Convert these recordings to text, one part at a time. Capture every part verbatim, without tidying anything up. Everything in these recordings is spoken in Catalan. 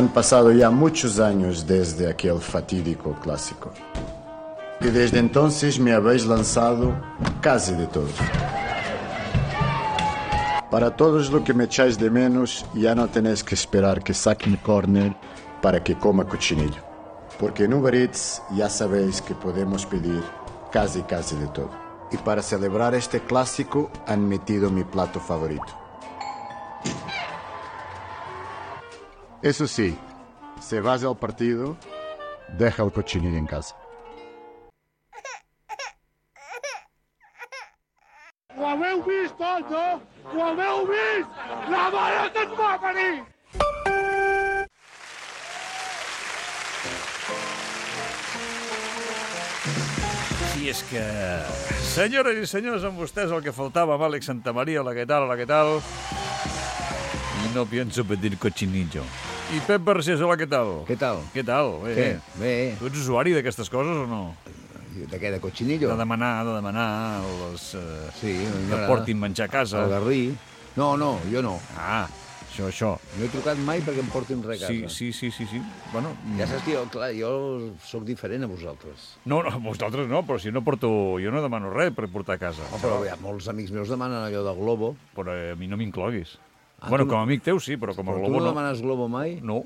Han pasado ya muchos años desde aquel fatídico clásico. Y desde entonces me habéis lanzado casi de todo. Para todos los que me echáis de menos, ya no tenéis que esperar que saque mi corner para que coma cochinillo. Porque en Uber Eats ya sabéis que podemos pedir casi casi de todo. Y para celebrar este clásico han metido mi plato favorito. Eso sí, si vas al partido, deja el cochinillo en casa. Ho haveu vist tot, no? Ho haveu vist? La mare que et va venir! I és que, senyores i senyors, amb vostès el que faltava, amb Àlex Santamaría, hola, què tal, hola, què tal? I no pienso pedir cochinillo. I Pep Barcés, hola, què tal? Què tal? Què tal? Bé. Què? Bé. Tu ets usuari d'aquestes coses o no? De què, de cochinillo? De demanar, de demanar les, eh, Sí, a mi que m'agrada. portin menjar a casa. El garrí. No, no, jo no. Ah, això, això. No he trucat mai perquè em portin res a casa. Sí, sí, sí, sí, sí. Bueno, Ja saps que jo, clar, jo sóc diferent a vosaltres. no, no, vosaltres no, però si no porto... Jo no demano res per portar a casa. Oh, però ja, molts amics meus demanen allò de Globo. Però a mi no m'incloguis. Ah, bueno, tu com no- a amic teu sí, però com a Però tu Globo no no. demanes Globo mai? No.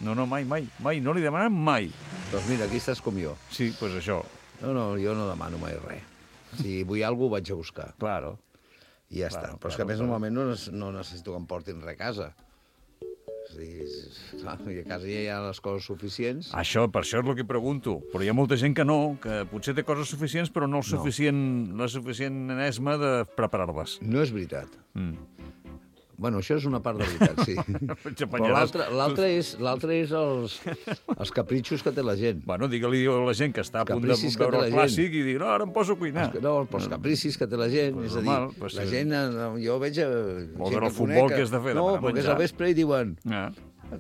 No, no, mai, mai. Mai, no li demanem mai. Doncs mira, aquí estàs com jo. Sí, doncs pues això. No, no, jo no demano mai res. Si vull alguna cosa, ho vaig a buscar. Claro. I ja Claro, està. Però és claro, que a més claro. normalment no, nes- no necessito que em portin res a casa. És a dir, és- clar, i a casa ja hi ha les coses suficients. Això, per això és el que pregunto. Però hi ha molta gent que no, que potser té coses suficients, però no el suficient, la suficient esma de preparar-les. No és veritat. Mm. Bueno, això és una part de veritat, sí. Ets Però apanyaràs. l'altre l'altre és, l'altre és els, els capritxos que té la gent. Bueno, digue-li a la gent que està a punt de Capricis que veure té el la clàssic i dir, no, ara em poso a cuinar. Els, no, els capricis que té la gent. Pues és a dir, normal, pues la sí. gent, eh, jo veig... eh, Vol gent veure el que futbol, conec què has de fer? No, Demanar perquè és menjar. al vespre i diuen... Ja.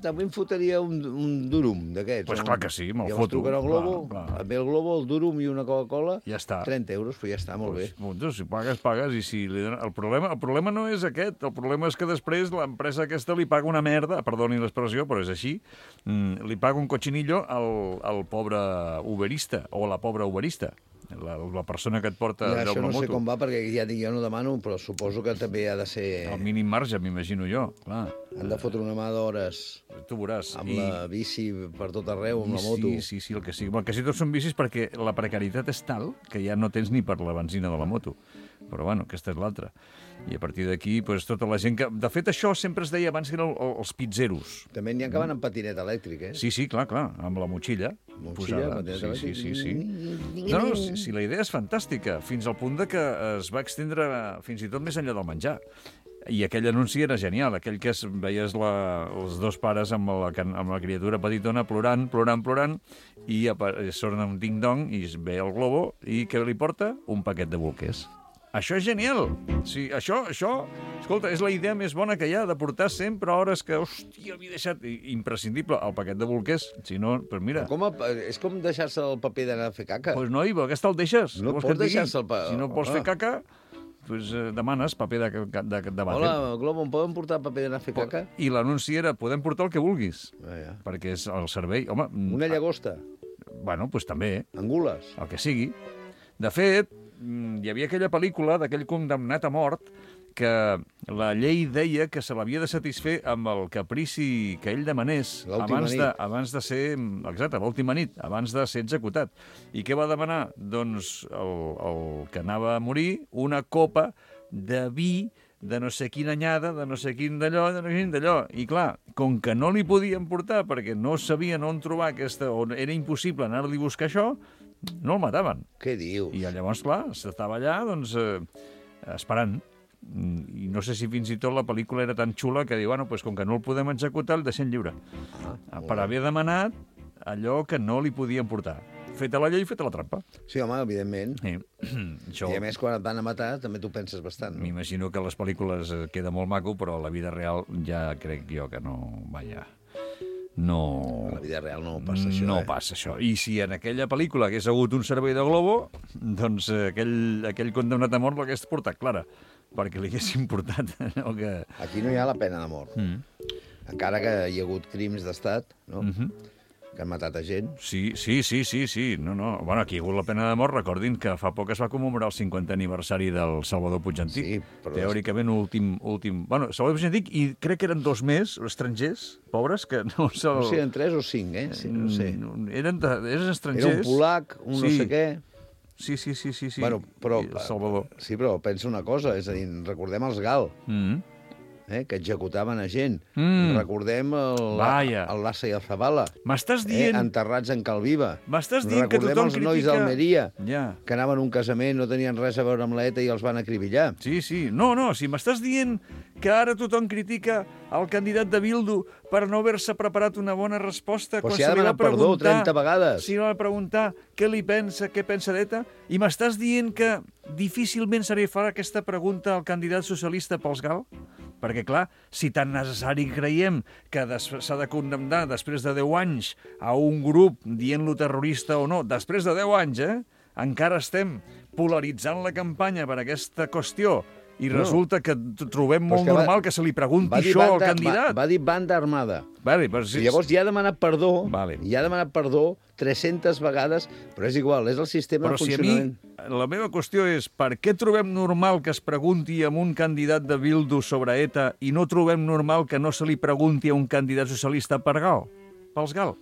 També em fotria un, un durum d'aquests. Pues un- clar que sí, me'l Llavors foto. truquen al Globo, Clar, clar. em ve el Globo, el durum i una Coca-Cola, Ja està. trenta euros, però ja està, molt Pues, bé. doncs, si pagues, pagues, i si li donen... el, problema, el problema no és aquest, el problema és que després l'empresa aquesta li paga una merda, perdoni l'expressió, però és així, mm, li paga un cochinillo al, al pobre uberista, o a la pobra uberista, la, la persona que et porta I allò això amb no la sé moto. com va, perquè ja dic, jo no demano, però suposo que també ha de ser... Al mínim marge, m'imagino jo, clar. Han de fotre una mà d'hores Tu veuràs. amb la bici per tot arreu, amb la moto. Sí, sí, sí, el que sigui. El que sí, tots són bicis perquè la precarietat és tal que ja no tens ni per la benzina de la moto. Però, bueno, aquesta és l'altra. I a partir d'aquí, pues, tota la gent que... De fet, això sempre es deia abans que eren el- els pizzeros. També n'hi ha que van amb patinet elèctric, eh? Sí, sí, clar, clar, amb la motxilla. Motxilla, posada. patinet Sí, elèctric. sí, sí, sí. No, no, si, si la idea és fantàstica, fins al punt de que es va extendre fins i tot més enllà del menjar. I aquell anunci era genial, aquell que es, veies la, els dos pares amb la, can- amb la criatura petitona plorant, plorant, plorant, i apa- sona un ding-dong i es ve el globo, i què li porta? Un paquet de bolquers. Això és genial. Sí, això, això, escolta, és la idea més bona que hi ha, de portar sempre hores que, hòstia, m'he deixat i- imprescindible el paquet de bolquers. Si no, pues mira, Com a, és com deixar-se el paper d'anar a fer caca. pues noi, però aquesta el deixes. No Què vols pots que et digui? deixar-se el pa- Si no vols Home. fer caca, pues, eh, demanes paper de, de, de, de vàter. Hola, Globo, em poden portar paper d'anar a fer caca? I l'anunci era, podem portar el que vulguis, Ah, ja. perquè és el servei. Home, mm, Una llagosta, bueno, pues també, angules. el que sigui. De fet, mm, hi havia aquella pel·lícula d'aquell condemnat a mort que la llei deia que se l'havia de satisfer amb el caprici que ell demanés L'última abans nit. de, abans de ser... Exacte, l'última nit, abans de ser executat. I què va demanar? Doncs el, el que anava a morir, una copa de vi de no sé quina anyada, de no sé quin d'allò, de no sé quin d'allò. I clar, com que no li podien portar perquè no sabien on trobar aquesta... on era impossible anar-li a buscar això, no el mataven. Què dius? I llavors, clar, s'estava allà, doncs, eh, esperant. Mm, I no sé si fins i tot la pel·lícula era tan xula que diu, bueno, pues, com que no el podem executar, el deixem lliure. Ah, Per haver demanat allò que no li podien portar. Feta la llei, feta la trampa. Sí, home, evidentment. Sí. Això, I a més, quan et van a matar, també t'ho penses bastant. No? m'imagino que a les pel·lícules eh, queda molt maco, però a la vida real ja crec jo que no... Vaja, no... A la vida real no passa això, no eh? passa això. I si en aquella pel·lícula hagués hagut un servei de Globo, doncs eh, aquell, aquell condemnat a mort l'hagués portat clara, perquè li haguessin portat allò que... Aquí no hi ha la pena de mort. Mm. encara que hi ha hagut crims d'estat, no? Mhm. Que han matat a gent. Sí, sí, sí, sí, sí. No, no. Bueno, aquí hi ha hagut la pena de mort. Recordin que fa poc es va commemorar el cinquantè aniversari del Salvador Puig Antic. Sí, però... Teòricament, últim... últim... Bueno, Salvador Puig Antic, i crec que eren dos més, estrangers, pobres, que no se'l... No sé, eren tres o cinc, eh? Sí, no sé. Eren, de... eren estrangers. Era un polac, un sí. no sé què... Sí, sí, sí, sí. sí. Bueno, però... I el Salvador. Sí, però pensa una cosa, és a dir, recordem els Gal, Mm. eh, que executaven a gent. Mm. Recordem el, Vaja. el Lassa i el Zabala, M'estàs eh, dient... enterrats en Calviva. M'estàs dient que Recordem tothom els nois critica... d'Almeria, Ja. que anaven a un casament, no tenien res a veure amb l'E T A i els van acribillar. Sí, sí. No, no, si m'estàs dient que ara tothom critica el candidat de Bildu per no haver-se preparat una bona resposta... Però quan si ha se li va demanat perdó preguntar- trenta vegades. Si li va preguntar què li pensa, què pensa d'ETA, i m'estàs dient que difícilment se li farà aquesta pregunta al candidat socialista pels Gal? Perquè, clar, si tan necessari creiem que des- s'ha de condemnar després de deu anys a un grup dient-lo terrorista o no, després de deu anys, eh? Encara estem polaritzant la campanya per aquesta qüestió i No. resulta que t- trobem Però molt és que va- normal que se li pregunti Va dir això al banda- candidat. Va, va dir banda armada. Vale, però si... I llavors ja ha demanat perdó, Vale. ja ha demanat perdó tres-centes vegades, però és igual, és el sistema Però de si a mi, funcionament. la meva qüestió és per què trobem normal que es pregunti a un candidat de Bildu sobre ETA i no trobem normal que no se li pregunti a un candidat socialista per Gal, pels Gal?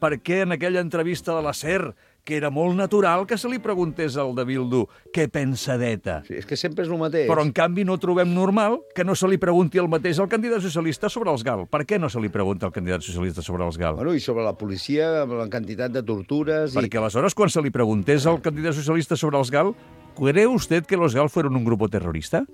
Per què en aquella entrevista de la SER, que era molt natural que se li preguntés al de Bildu què pensa d'ETA? Sí, és que sempre és el mateix. Però, en canvi, no trobem normal que no se li pregunti el mateix al candidat socialista sobre els Gal. Per què no se li pregunta al candidat socialista sobre els Gal? Bueno, i sobre la policia, amb la quantitat de tortures... Perquè aleshores, quan se li preguntés al candidat socialista sobre els Gal, ¿cree usted que los Gal fueron un grupo terrorista?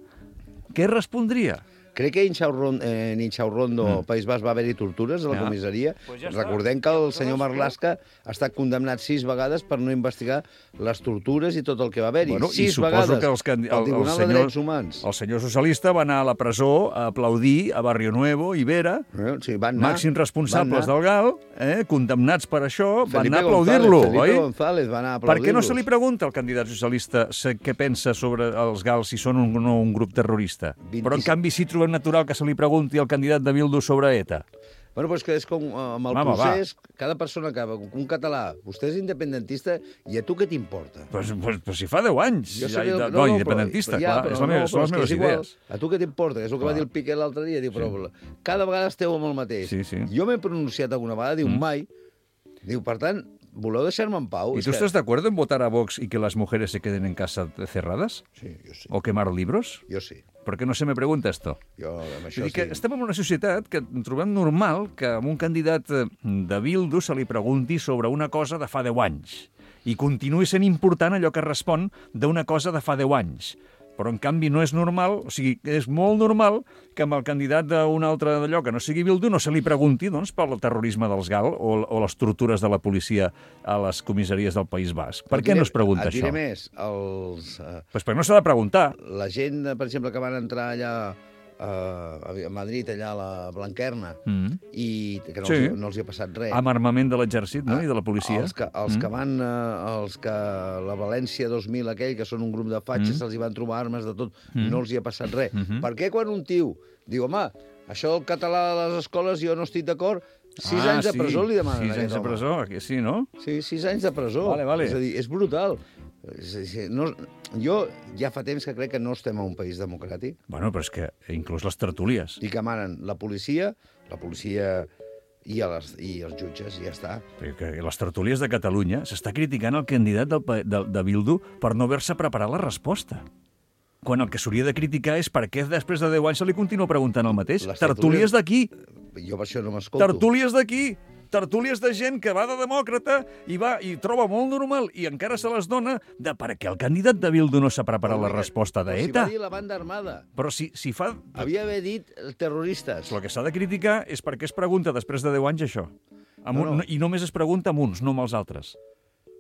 Què respondria? Crec que en Inxaurrondo, eh, en Inxaurrondo mm. País Basc, va haver-hi tortures a la Ja. comissaria. Pues ja està. Recordem que el senyor Aleshores, Marlaska ha estat condemnat sis vegades per no investigar les tortures i tot el que va haver-hi. Bueno, i sis suposo vegades. que els candi- El el- el Tribunal senyor- de Drets Humans. El senyor socialista va anar a la presó a aplaudir a Barrio Nuevo i Vera, Eh, sí, van anar, màxims responsables van anar. del Gal, eh, condemnats per això, van Felipe anar a aplaudir-lo, González, oi? Felipe González va anar a Per què no aplaudir-los. se li pregunta al candidat socialista se- què pensa sobre els Gal si són un, no un grup terrorista? vint-i-set Però, en canvi, sí trobem natural que se li pregunti al candidat de Bildu sobre ETA. Bueno, però és que és com eh, amb el Mama, procés, cada persona que... Un català, vostè és independentista i a tu què t'importa? Pues, pues, pues si fa deu anys. Jo Ja, sé que- no, no, no, independentista, però- ja, clar. però és la no, meva, però són les és que meves és igual. idees. A tu què t'importa? És el que Clar. va dir el Piqué l'altre dia. Diu, però cada vegada esteu amb el mateix. Sí, sí. Jo m'he pronunciat alguna vegada, diu, mai. Diu, per tant, voleu deixar-me en pau? ¿Y És tú que- estás de acuerdo en votar a Vox y que las mujeres se queden en casa cerradas? Sí, jo sí. ¿O quemar libros? Jo sí. ¿Por qué no se me pregunta esto? Jo amb això Vull dir que sí. estem en una societat que trobem normal que a un candidat eh, de Bildu se li pregunti sobre una cosa de fa deu anys i continuï sent important allò que respon d'una cosa de fa deu anys. Però, en canvi, no és normal, o sigui, és molt normal que amb el candidat d'un altre d'allò que no sigui Bildu no se li pregunti doncs, pel terrorisme dels Gal o, o les tortures de la policia a les comissaries del País Basc. Per què no es pregunta et diré això? més, els, eh, Pues perquè no s'ha de preguntar. la gent, per exemple, que van entrar allà eh, a Madrid, allà a la Blanquerna, Mm. i que no, Sí. els, no els hi ha passat res. Amb armament de l'exèrcit, no?, i de la policia. Els que, els mm. que van, eh, els que la València dos mil aquell, que són un grup de fatxes, mm. se'ls hi van trobar armes de tot, mm. no els hi ha passat res. Mm -hmm. Per què quan un tio diu, home, això del català a les escoles jo no estic d'acord, sis Ah, anys de sí. presó li demanen Sis a anys aquest de home. presó, que sí, no? Sí, sis anys de presó. Vale, vale. És a dir, és brutal. És a dir, no, jo ja fa temps que crec que no estem a un país democràtic Bueno, però és que inclús les tertúlies. i que manen la policia, la policia i, a les, i els jutges, i ja està. Perquè les tertúlies de Catalunya s'està criticant el candidat del, pa- de, de Bildu per no haver-se preparat la resposta. Quan el que s'hauria de criticar és per què després de deu anys se li continua preguntant el mateix. Les Tertúlies tertúlies- d'aquí, Jo per això no m'escolto. tertúlies d'aquí, tertúlies de gent que va de demòcrata i va i troba molt normal i encara se les dona de per què el candidat de Bildu no s'ha preparat la resposta Però si d'ETA. va dir la banda armada. Però si, si fa... Havia d'haver dit terroristes. El que s'ha de criticar és per què es pregunta després de deu anys això. Amb No, un, no. I només es pregunta amb uns, no amb els altres.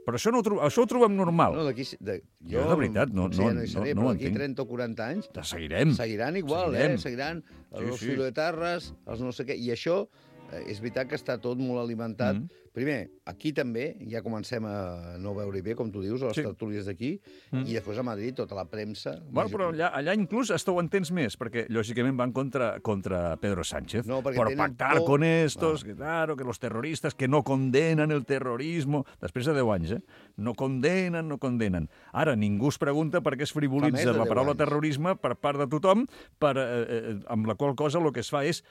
Però això, no ho, tro això ho trobem normal. No, d'aquí... De, Jo, de veritat, no- sí, no- no hi seré, no- no però ho d'aquí entenc. trenta o quaranta anys Te seguirem. seguiran igual, Seguirem. eh? Seguiran Sí, els sí. filoetarres, els no sé què. I això eh, és veritat que està tot molt alimentat. Mm. Primer, aquí també ja comencem a no veure bé, com tu dius, a les Sí. tertúlies d'aquí, Mm. i després a Madrid, tota la premsa... Bueno, però allà, allà inclús hasta ho entens més, perquè lògicament van contra, contra Pedro Sánchez. No, perquè por tenen pactar por. con estos, Ah. que claro, que los terroristas que no condenan el terrorismo. Després de deu anys, eh? No condenen, no condenen. Ara, ningú es pregunta per què es Fa més frivolitza de la deu paraula anys. terrorisme per part de tothom, per, eh, eh, amb la qual cosa el que es fa és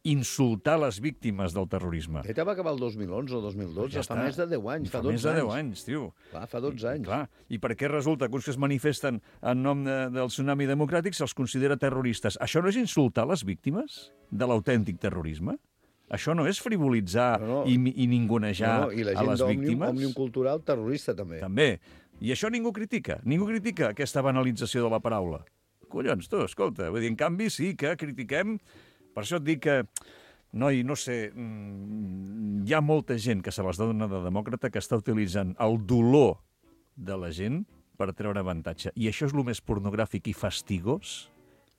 insultar les víctimes del terrorisme. Aquest va acabar el dos mil onze o dos mil dotze, Ja fa està. més de deu anys, fa, Fa dotze més de deu anys. anys, tio. Clar, fa dotze anys. Clar. I per què resulta que uns que es manifesten en nom de, del tsunami democràtic se'ls considera terroristes? Això no és insultar les víctimes de l'autèntic terrorisme? Això no és frivolitzar No, no. i, i ningunejar No, no, I la a gent les d'Òmnium víctimes? Òmnium Cultural, terrorista, també. També. I això ningú critica. Ningú critica aquesta banalització de la paraula. Collons, tu, escolta. Vull dir, en canvi, sí que critiquem... Per això et dic que, noi, no sé, mm, hi ha molta gent que se les dona de demòcrata que està utilitzant el dolor de la gent per treure avantatge. I això és el més pornogràfic i fastigós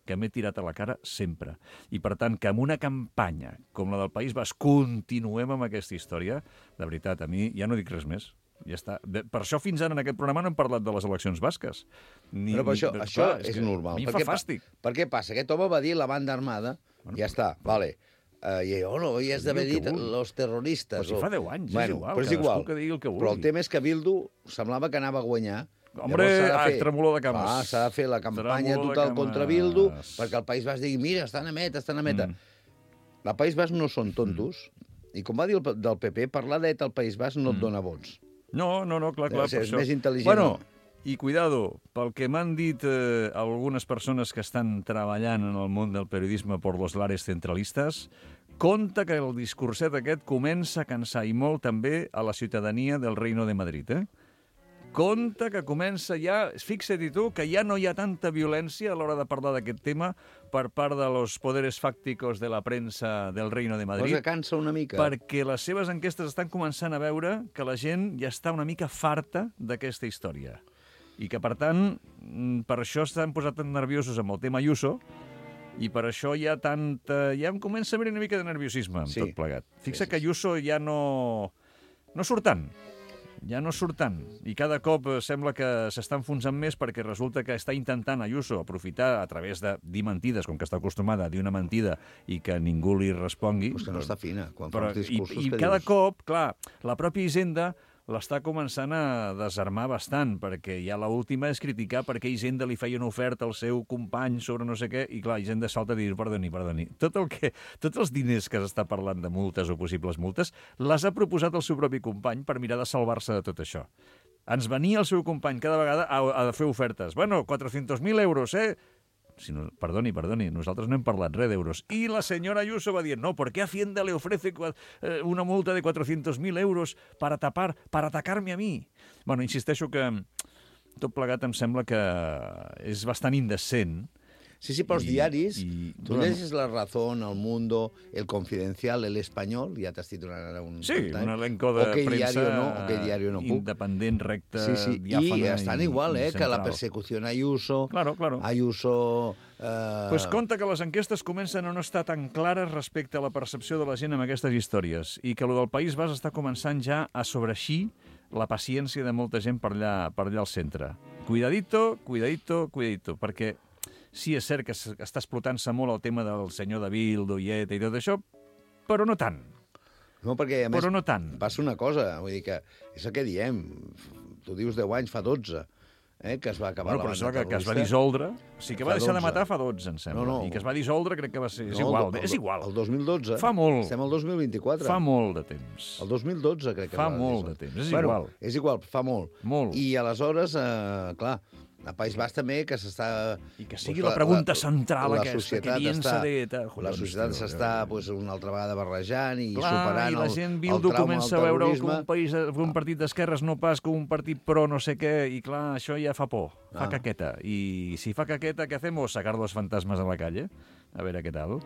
que m'he tirat a la cara sempre. I, per tant, que amb una campanya com la del País Basc continuem amb aquesta història, de veritat, a mi ja no dic res més. Ja està. De, per això fins ara en aquest programa no hem parlat de les eleccions basques. Ni, Però per això, ni, això clar, és, que normal. A mi em Per fa què pa- fàstic. Per què passa? Aquest home va dir la banda armada, bueno, ja està, vale. Uh, I oh, no, i has d'haver digui el dit que vulgui. los terroristes. Però si o- fa deu anys, és bueno, igual, però és cadascú igual. que digui el que Però el vulgui. tema és que Bildu semblava que anava a guanyar. Hombre, Llavors s'ha de ah, fer- tremolor de cames. Ah, s'ha de fer la campanya Tremolor de total cames. contra Bildu perquè el País Basc digui, mira, estan a meta, estan a meta. Mm. El País Basc no són tontos, i com va dir el, p- del P P, parlar d'E T A al País Basc no et dona vots. No, no, no, clar, clar. Deu ser, per és això. més intel·ligent, Bueno, no? i cuidado, pel que m'han dit eh, algunes persones que estan treballant en el món del periodisme por los lares centralistes, compte que el discurset aquest comença a cansar i molt també a la ciutadania del Reino de Madrid, eh? Compte que comença ja, fixa't tu, que ja no hi ha tanta violència a l'hora de parlar d'aquest tema per part de los poderes fàcticos de la premsa del Reino de Madrid. Cosa cansa una mica. Perquè les seves enquestes estan començant a veure que la gent ja està una mica farta d'aquesta història. I que, per tant, mm, per això estan posat tan nerviosos amb el tema Ayuso, i per això hi ha tanta... Ja em comença a haver una mica de nerviosisme amb Sí. tot plegat. Fixa Sí, sí, que Ayuso ja no... no surt tant. Ja no surt tant. I cada cop eh, sembla que s'està enfonsant més perquè resulta que està intentant Ayuso aprofitar a través de dir mentides, com que està acostumada a dir una mentida i que ningú li respongui. Pues que no està fina, quan Però, fa els i, discursos I que cada dius. cop, clar, la pròpia Hisenda l'està començant a desarmar bastant, perquè ja l'última és criticar perquè Hisenda li feia una oferta al seu company sobre no sé què, i clar, Hisenda salta a dir, perdoni, perdoni, tot el que, tots els diners que s'està parlant de multes o possibles multes, les ha proposat el seu propi company per mirar de salvar-se de tot això. Ens venia el seu company cada vegada a, a fer ofertes. Bueno, cuatrocientos mil euros, eh? Si no, perdoni, perdoni, nosaltres no hem parlat res d'euros. I la senyora Ayuso va dir, no, ¿por qué Hacienda le ofrece eh, una multa de cuatrocientos mil euros para tapar, para atacar-me a mi? Bueno, insisteixo que tot plegat em sembla que és bastant indecent. Sí, sí, però els I- diaris, i- tu llegis La Razón, El Mundo, El Confidencial, El Espanyol, ja t'has titulat ara un... Sí, time, un elenco de o que premsa diario no, o que diario no puc. independent, recta, Sí, sí, diàfana i estan igual, i eh, que la central. persecució a Ayuso, Claro, claro. Ayuso... Eh... Pues compte que les enquestes comencen a no estar tan clares respecte a la percepció de la gent amb aquestes històries i que el del País Basc està començant ja a sobreixir la paciència de molta gent per allà, per allà al centre. Cuidadito, cuidadito, cuidadito, perquè sí, és cert que es- que està explotant-se molt el tema del senyor de Bildu i E T A i tot això, però no tant, No, perquè a més però no tant. passa una cosa, vull dir que és el que diem, tu dius deu anys, fa dotze, eh, que es va acabar Bueno, però la això banda que, que es va terrorista. dissoldre, o sigui que va Fa deixar de dotze. matar fa dotze, em sembla, No, no. i que es va dissoldre crec que va ser... És No, igual, el, és igual. El dos mil dotze. Fa molt. Estem al dos mil vint-i-quatre. Fa molt de temps. El dos mil dotze, crec que Fa va molt dir-se. de temps, és bueno, igual. És igual, fa molt. Molt. I aleshores, eh, clar, a País Basc també, que s'està... I que sigui pues, la pregunta central la aquesta, societat que piensa està, de... ta- La Collons, societat tio, s'està eh. pues, una altra vegada barrejant i Clar, superant i la el, gent el Bildu trauma comença a del veure com terrorisme. un, país, com un partit d'esquerres no pas com un partit pro no sé què, i clar, això ja fa por, fa Ah. caqueta. I si fa caqueta, què hacemos? Sacar los fantasmes a la calle? A veure què tal.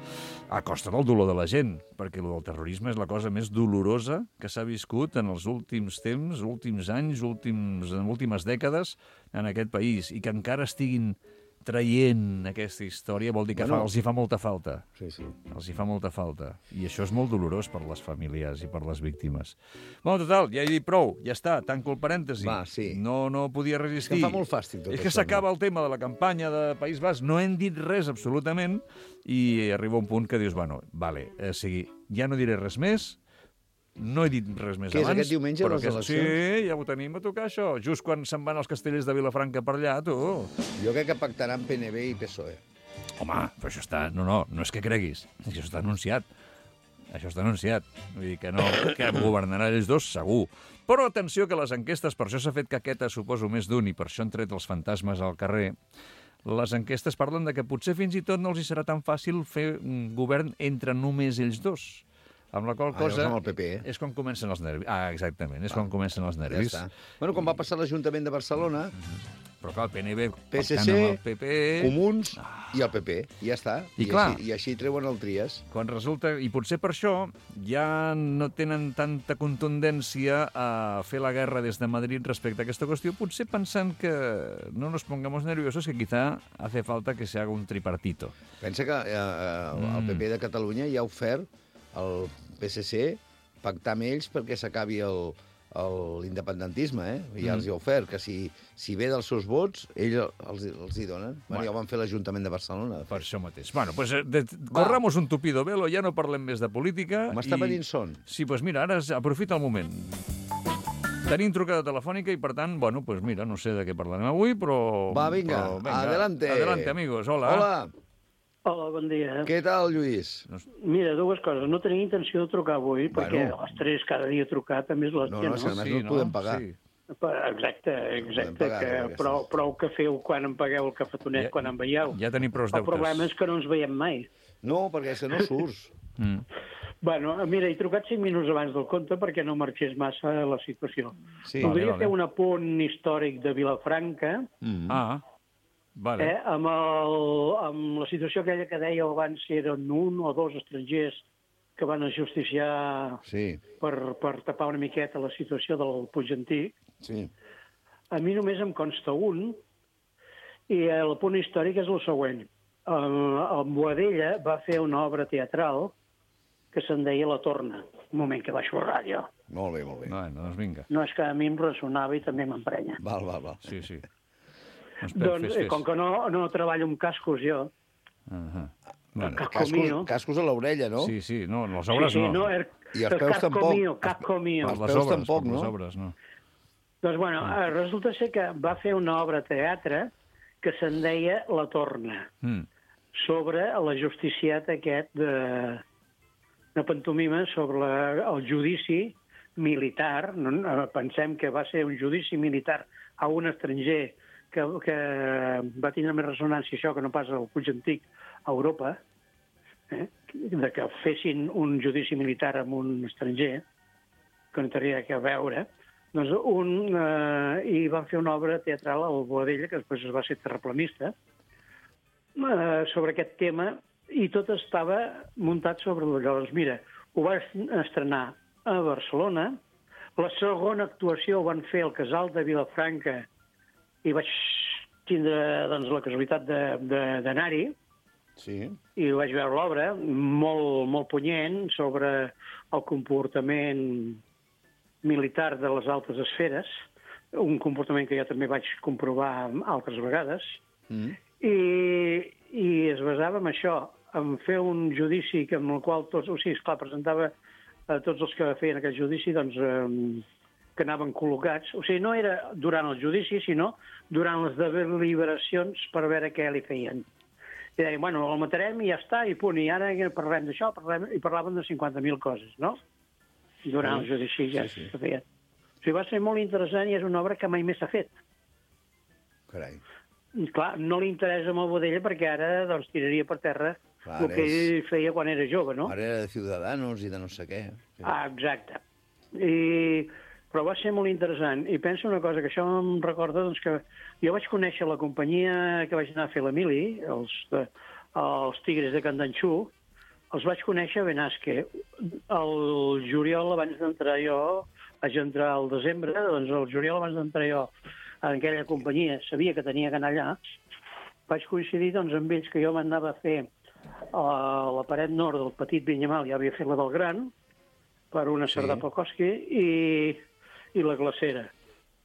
A costa del dolor de la gent, perquè el del terrorisme és la cosa més dolorosa que s'ha viscut en els últims temps, últims anys, últims, en últimes dècades en aquest país, i que encara estiguin traient aquesta història vol dir que Bueno. fa, els hi fa molta falta. Sí, sí. Els hi fa molta falta. I això és molt dolorós per les famílies i per les víctimes. Bueno, total, ja he dit prou, ja està, tanco el parèntesi. Va, sí. No, no podia resistir. És que em fa molt fàstic tot És que això, s'acaba el tema de la campanya de País Basc, no hem dit res absolutament, i arriba un punt que dius, bueno, vale, o sigui, ja no diré res més, no he dit res més Què és, abans. aquest diumenge, però les aquest- eleccions? Sí, ja ho tenim a tocar, això. Just quan se'n van els castellers de Vilafranca per allà, tu. Jo crec que pactaran P N B i P S O E. Home, però això està... No, no, no és que creguis. Això està anunciat. Això està anunciat. Vull dir que no, que governaran ells dos, segur. Però atenció que les enquestes, per això s'ha fet caqueta, suposo, més d'un, i per això han tret els fantasmes al carrer, les enquestes parlen de que potser fins i tot no els hi serà tan fàcil fer un govern entre només ells dos. Amb la qual Ah, cosa llavors amb el P P, eh? és quan comencen els nervis. Ah, exactament, és Ah, quan comencen els Ja nervis. està. Bueno, com va passar a l'Ajuntament de Barcelona, Però clar, el P N B P S C, pactant amb el P P... Comuns i el P P. I ja està. I clar. Així, I així treuen el Tries. Quan resulta, i potser per això ja no tenen tanta contundència a fer la guerra des de Madrid respecte a aquesta qüestió, potser pensant que no nos pongamos nerviosos, que quizá hace falta que se haga un tripartito. Pensa que eh, eh, el P P de Catalunya ja ha ofert al P S C pactar amb ells perquè s'acabi el l'independentisme, eh? Ja els hi ha ofert, que si, si ve dels seus vots, ells els, els hi donen. Bueno, Bueno. ja ho van fer l'Ajuntament de Barcelona. De Per fet. això mateix. Bueno, pues, eh, de, corramos un tupido velo, ja no parlem més de política. M'està i- venint son. Sí, doncs mira, ara es- aprofita el moment. Tenim trucada telefònica i, per tant, bueno, pues mira, no sé de què parlarem avui, però... Va, vinga, però, adelante. Adelante, amigos, hola. Hola, Hola, bon dia. què tal, Lluís? Mira, dues coses. No tenia intenció de trucar avui, Bueno. perquè a les tres cada dia trucar també és No, l'hòstia, no, no? si a més no et podem pagar. Sí. Exacte, exacte. pagar, que aquestes. prou, prou que feu quan em pagueu el cafetonet, Ja- quan em veieu. Ja tenim prou El deutes. problema és que no ens veiem mai. No, perquè és que no surts. Mm. Bueno, mira, he trucat cinc minuts abans del compte perquè no marxés massa la situació. Sí. Voldria Vale, vale. fer un apunt històric de Vilafranca, Mm. Ah, vale. eh, amb, el, amb la situació aquella que dèieu abans si eren un o dos estrangers que van ajusticiar Sí, per, per tapar una miqueta la situació del Puig Antic. sí. A mi només em consta un, i el punt històric és el següent. El, el Boadella va fer una obra teatral que se'n deia La Torna. Un moment que baixo la ràdio. Molt bé, molt bé. Bueno, doncs vinga. No, és que a mi em ressonava i també m'emprenya. Val, val, val. Sí, sí. Doncs, Doncs, fes, eh, fes. com que no, no treballo amb cascos jo, Uh -huh. Bueno, Casco Cascos, mío. cascos a l'orella, no? sí, sí, no, les sí, obres sí, no. no, el, I els el peus casco tampoc. mío, casco mío. Els les peus obres, tampoc, per no? Les obres, no. Doncs, bueno, eh, resulta ser que va fer una obra de teatre que se'n deia La Torna, Mm. sobre l'ajusticiat aquest de, de pantomima sobre la, el judici militar. No, no, pensem que va ser un judici militar a un estranger que, que va tindre més ressonància això que no pas al Puig Antic a Europa, eh? de que fessin un judici militar amb un estranger, que no tenia que veure. Doncs un, eh, i van fer una obra teatral al Boadella, que després es va ser terraplanista, eh, sobre aquest tema, i tot estava muntat sobre allò. Llavors, mira, ho va estrenar a Barcelona, la segona actuació ho van fer al Casal de Vilafranca, i vaig tindre doncs, la casualitat de- de- d'anar-hi, Sí. i vaig veure l'obra, molt, molt punyent, sobre el comportament militar de les altes esferes, un comportament que jo també vaig comprovar altres vegades, Mm. i, i es basava en això, en fer un judici que, amb el qual tots, o sigui, esclar, presentava a tots els que feien aquest judici, doncs, eh, que anaven col·locats. O sigui, no era durant el judici, sinó durant les deliberacions per veure què li feien. I deien, bueno, el matarem i ja està, i punt, i ara parlem d'això, parlem, i parlaven de cinquanta mil coses, no? Durant el judici ja sí, sí. se feien. O sigui, va ser molt interessant i és una obra que mai més s'ha fet. Carai. I, clar, no li interessa amb el Boadella perquè ara doncs, tiraria per terra Clar, el que és- ell feia quan era jove, no? Ara era de Ciudadanos i de no sé què. Sí. Ah, exacte. I, però va ser molt interessant. I penso una cosa, que això em recorda doncs, que jo vaig conèixer la companyia que vaig anar a fer l'Emili, els, de, els Tigres de Candanxú, els vaig conèixer a Benasque. El juliol, abans d'entrar jo, vaig entrar al desembre, doncs el juliol abans d'entrar jo en aquella companyia, sabia que tenia que anar allà, vaig coincidir doncs, amb ells que jo m'anava a fer a la paret nord del petit Vinyamal, ja havia fet la del Gran, per una Sí. Cerdà Polkowski, i, i la Glacera.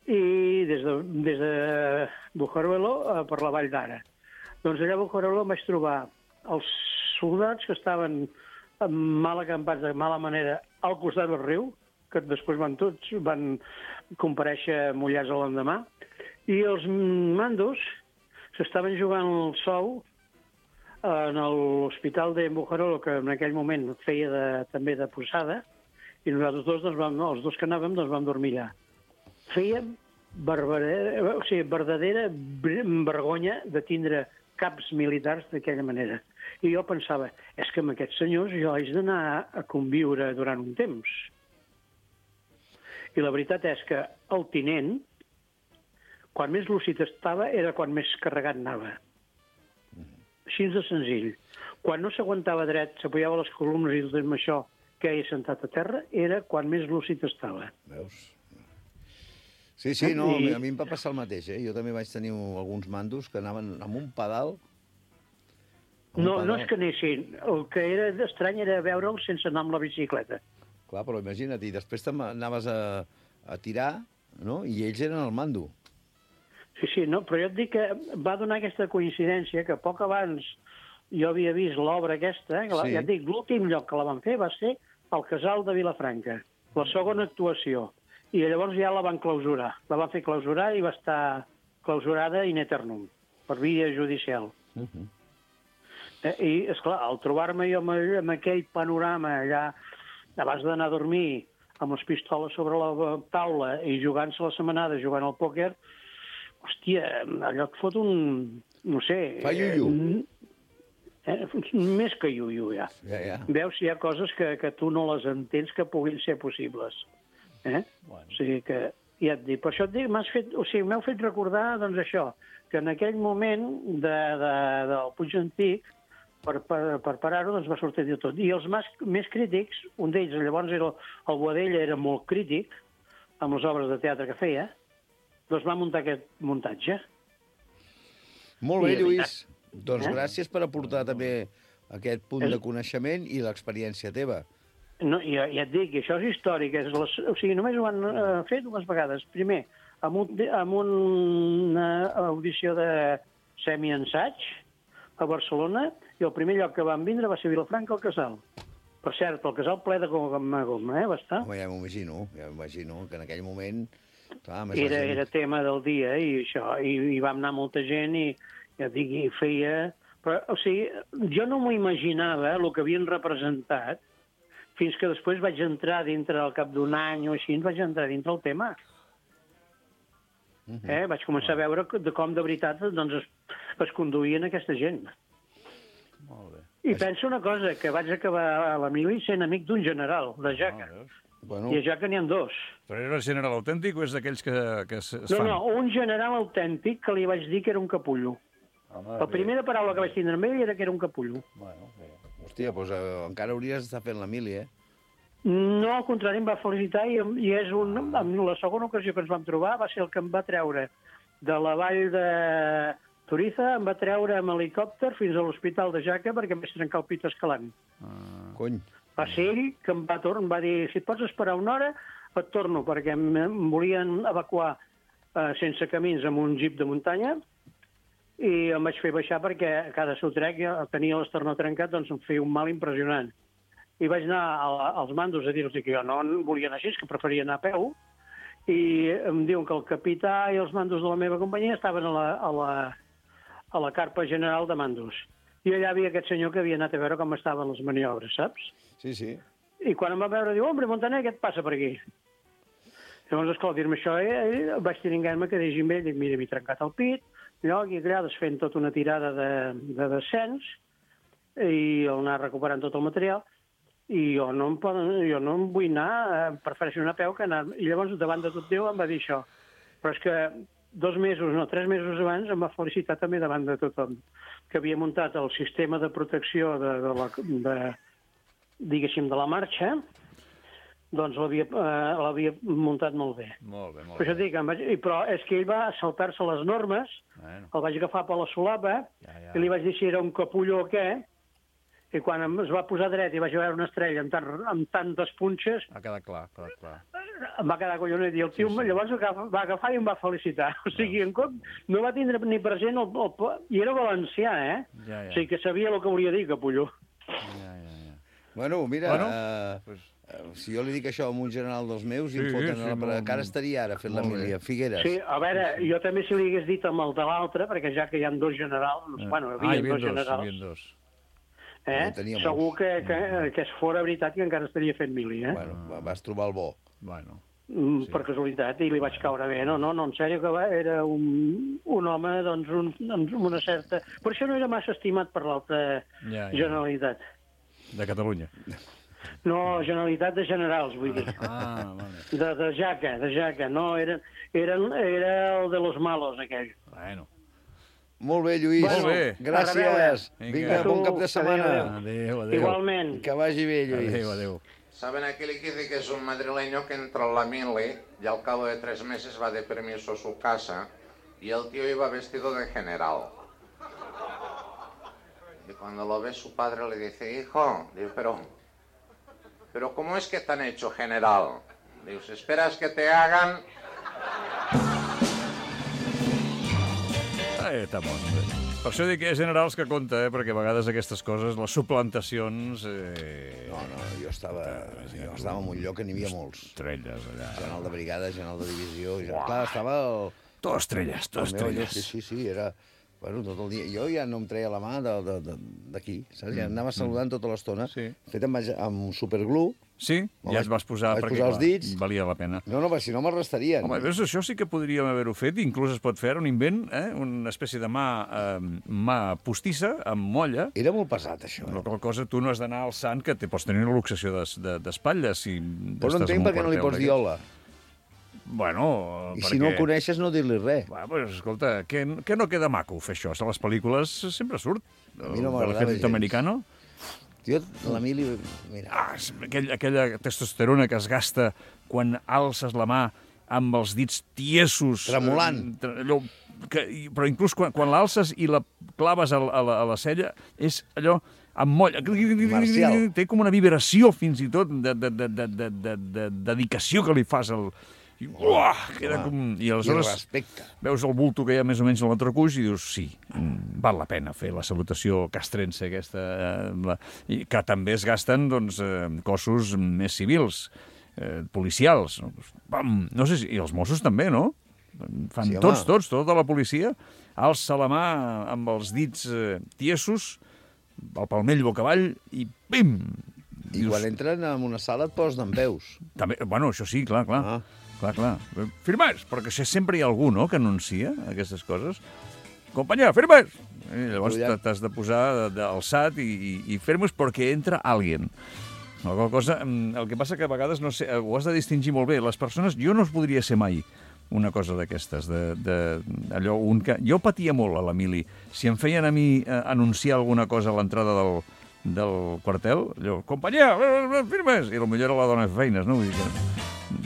I des de, des de Bujaruelo eh, per la Vall d'Ara. Doncs allà a Bujaruelo em vaig trobar els soldats que estaven mal acampats de mala manera al costat del riu, que després van tots, van comparèixer mullats a l'endemà, i els mandos s'estaven jugant el sou en l'hospital de Bujaruelo, que en aquell moment feia de, també de posada, i nosaltres dos, doncs, vam, els dos que anàvem, doncs, vam dormir allà. Fèiem verdadera, o sigui, verdadera vergonya de tindre caps militars d'aquella manera. I jo pensava, és que amb aquests senyors jo haig d'anar a conviure durant un temps. I la veritat és que el tinent, quan més lúcid estava, era quan més carregat anava. Així de senzill. Quan no s'aguantava dret, s'apoyava a les columnes i tot això, que ella sentat a terra, era quan més lúcid estava. Veus? Sí, sí, no, I... a mi em va passar el mateix, eh? Jo també vaig tenir alguns mandos que anaven amb un pedal. Amb un No, pedal. no és que anessin. El que era estrany era veure'l sense anar amb la bicicleta. Clar, però imagina't, i després te'n anaves a, a tirar, no? I ells eren al mando. Sí, sí, no, però jo et dic que va donar aquesta coincidència que poc abans jo havia vist l'obra aquesta, que la, Sí. ja et dic, l'últim lloc que la van fer va ser al Casal de Vilafranca, la segona actuació, i llavors ja la van clausurar. La van fer clausurar i va estar clausurada in eternum, per via judicial. Uh -huh. eh, I, esclar, al trobar-me jo amb, amb aquell panorama allà, abans d'anar a dormir, amb les pistoles sobre la taula i jugant-se la setmanada, jugant al pòquer, hòstia, allò et fot un... no sé... Fa iuiu. Eh, eh, més que iuiu, ja. Ja, ja. Veus, hi ha coses que, que tu no les entens que puguin ser possibles. Eh? Bueno. O sigui que, ja et dic, per això et dic, m'has fet, o sigui, m'heu fet recordar, doncs això, que en aquell moment de, de, del Puig Antic, per, per, per parar-ho, doncs va sortir de tot. I els més, més crítics, un d'ells, llavors era el Boadella, era molt crític, amb les obres de teatre que feia, doncs va muntar aquest muntatge. Molt bé, I de Lluís. Doncs Eh? gràcies per aportar també aquest punt de coneixement i l'experiència teva. No, ja, ja et dic, això és històric. És les, o sigui, només ho han eh, fet dues vegades. Primer, amb, un, amb una audició de semi-ensaig a Barcelona, i el primer lloc que van vindre va ser Vilafranca al Casal. Per cert, el Casal ple de goma, goma, eh, va estar. Home, ja m'imagino, ja m'imagino que en aquell moment... Clar, més Era, la gent... era tema del dia, i això, i, i va anar molta gent, i ja et dic, i feia... Però, o sigui, jo no m'ho imaginava, el que havien representat, fins que després vaig entrar dintre, al cap d'un any o així, vaig entrar dintre el tema. Uh-huh. Eh? Vaig començar a veure de com de veritat doncs, es, es conduïen aquesta gent. Molt bé. I penso una cosa, que vaig acabar a la mili sent amic d'un general, de Jaca. Ah, veus? Bueno, I a Jaca n'hi ha dos. Però era general autèntic o és d'aquells que, que es, es No, fan? no, un general autèntic que li vaig dir que era un capullo. Home, La primera paraula que vaig tindre amb ell era que era un capullo. Bueno, bé. hòstia, doncs eh, encara hauries d'estar fent la mili, eh? No, al contrari, em va felicitar i, i és un, en la segona ocasió que ens vam trobar va ser el que em va treure de la vall de Toriza, em va treure amb helicòpter fins a l'hospital de Jaca perquè em vaig trencar el pit escalant. Ah, Cony. Va ser ell que em va, torn, em va dir, si et pots esperar una hora, et torno, perquè em, em volien evacuar eh, sense camins amb un jeep de muntanya i em vaig fer baixar perquè a cada sotrec ja tenia l'esternó trencat, doncs em feia un mal impressionant. I vaig anar a, als mandos a dir-los que jo no volia anar així, que preferia anar a peu, i em diuen que el capità i els mandos de la meva companyia estaven a la, a la, a la carpa general de mandos. I allà havia aquest senyor que havia anat a veure com estaven les maniobres, saps? Sí, sí. I quan em va veure, diu, hombre, Montaner, què et passa per aquí? Llavors, esclar, dir-me això, eh, vaig tiringar-me que digi amb ell, dic, mira, m'he trencat el pit, lloc, i allà desfent tota una tirada de, de descens, i el anar recuperant tot el material, i jo no em, poden, jo no em vull anar, eh, prefereixo anar a peu que anar... I llavors, davant de tot Déu, em va dir això. Però és que dos mesos, no, tres mesos abans, em va felicitar també davant de tothom, que havia muntat el sistema de protecció de, de la... De, diguéssim, de la marxa, doncs l'havia eh, l'havia muntat molt bé. Molt bé, molt Per això bé. dic, em vaig, i- però és que ell va saltar-se les normes, Bueno. el vaig agafar per la solapa, Ja, ja. i li vaig dir si era un capullo o què, i quan em- es va posar dret i vaig veure una estrella amb, tant, amb tantes punxes, Ha quedat clar, ha quedat clar. em va quedar collonit, i el tio Sí, sí. llavors agafa, va agafar i em va felicitar. O sigui, en cop no va tindre ni present el, el, i era valencià, eh? Ja, ja. O sigui, que sabia el que volia dir, capullo. Ja, ja, ja. Bueno, mira, Bueno, eh, pues- eh, si jo li dic això a un general dels meus, i Sí, em foten sí, a la... molt- Encara estaria ara fent la molt bé. milia. Figueres. Sí, a veure, jo també si li hagués dit amb el de l'altre, perquè ja que hi ha dos generals, bueno, Ah, hi hi havia havia dos dos, hi generals, havia dos. eh? No tenia Segur molts. que, que, que es fora veritat que encara estaria fent mili, eh? Bueno, va- vas trobar el bo. Bueno. Mm, per casualitat, i li vaig caure bé. No, no, no, en sèrio, que va, era un, un home, doncs, un, amb una certa... Per això no era massa estimat per l'altra Ja, ja. Generalitat. De Catalunya. No, Generalitat de Generals, vull dir. Ah, vale. De, de Jaca, de Jaca. No, era, era, era el de los malos, aquell. Bueno. Molt bé, Lluís. Molt bé. Gràcies. A reveure. Vinga. Vinga, bon cap de setmana. Adéu, adéu. Igualment. Que vagi bé, Lluís. Adéu, adéu. ¿Saben aquel que dice que es un madrileño que entró en la mili y al cabo de tres meses va de permiso a su casa y el tío iba vestido de general? Y cuando lo ve su padre le dice, hijo, digo, pero, pero ¿cómo es que te han hecho general? Digo, si esperas que te hagan... Ah, estamos. Per això dic que hi ha generals que compta, eh? Perquè a vegades aquestes coses, les suplantacions... Eh... No, no, jo estava, jo estava en un lloc que n'hi havia molts. Estrelles, allà. General de brigada, general de divisió... Ja, clar, estava el... Tot estrelles, tot el meu allò, estrelles. sí, sí, sí, era... Bueno, tot el dia. Jo ja no em treia la mà de- de- de- d'aquí, saps? Ja anava saludant tota l'estona, Sí. fet amb, amb superglue. Sí? Me'l Ja vaig- es vas posar, vaig perquè posar els clar, dits. valia la pena. No, no, perquè si no m'arrestarien. Home, veus, això sí que podríem haver-ho fet, inclús es pot fer un invent, eh? Una espècie de mà, eh, mà postissa, amb molla. Era molt pesat, això. La qual cosa, tu no has d'anar alçant, que te pots tenir una luxació d'espatlles. Si Però no estàs entenc en un per què no li quartel pots d'aquests. dir hola. Bueno, I perquè... si no el coneixes, no dir-li res. Va, pues, escolta, que, que no queda maco fer això. A les pel·lícules sempre surt. A mi no El m'agradava Ejército gens. Americano. Jo, la mili... Mira, Ah, és aquell, aquella testosterona que es gasta quan alces la mà amb els dits tiesos. Tremolant. eh, tre- Allò, que, i- però inclús quan, quan l'alces i la claves a, la- a, la, a la cella, és allò amb molla. Marcial. Té com una vibració, fins i tot, de, de, de, de, de, de, de dedicació que li fas al... I, uah, queda com... I i aleshores respecte. veus el bulto que hi ha més o menys a l'entrecuix i dius, sí, mm, val la pena fer la salutació castrense aquesta, eh, la, i que també es gasten doncs, eh, cossos més civils, eh, policials. No? Pam! No sé si... I els Mossos també, no? Fan Sí, sí, home. tots, tots, tota la policia, alça la mà amb els dits eh, tiesos, el palmell boca avall i pim! I quan entren en una sala et posen en peus. També, bueno, això sí, clar, clar. Ah. Clar, clar. Firmes! Perquè si sempre hi ha algú, no?, que anuncia aquestes coses. Companyia, firmes! I llavors Tu ja- t'has de posar d'alçat i, i, i firmes perquè entra alguien. Alguna cosa, mm, el que passa que a vegades, no sé, ho has de distingir molt bé. Les persones, jo no es podria ser mai una cosa d'aquestes, de, de, allò, un que... Jo patia molt a la mili. Si em feien a mi eh, anunciar alguna cosa a l'entrada del, del quartel, allò, companyia, firmes! I potser era la dona de feines, no? Vull dir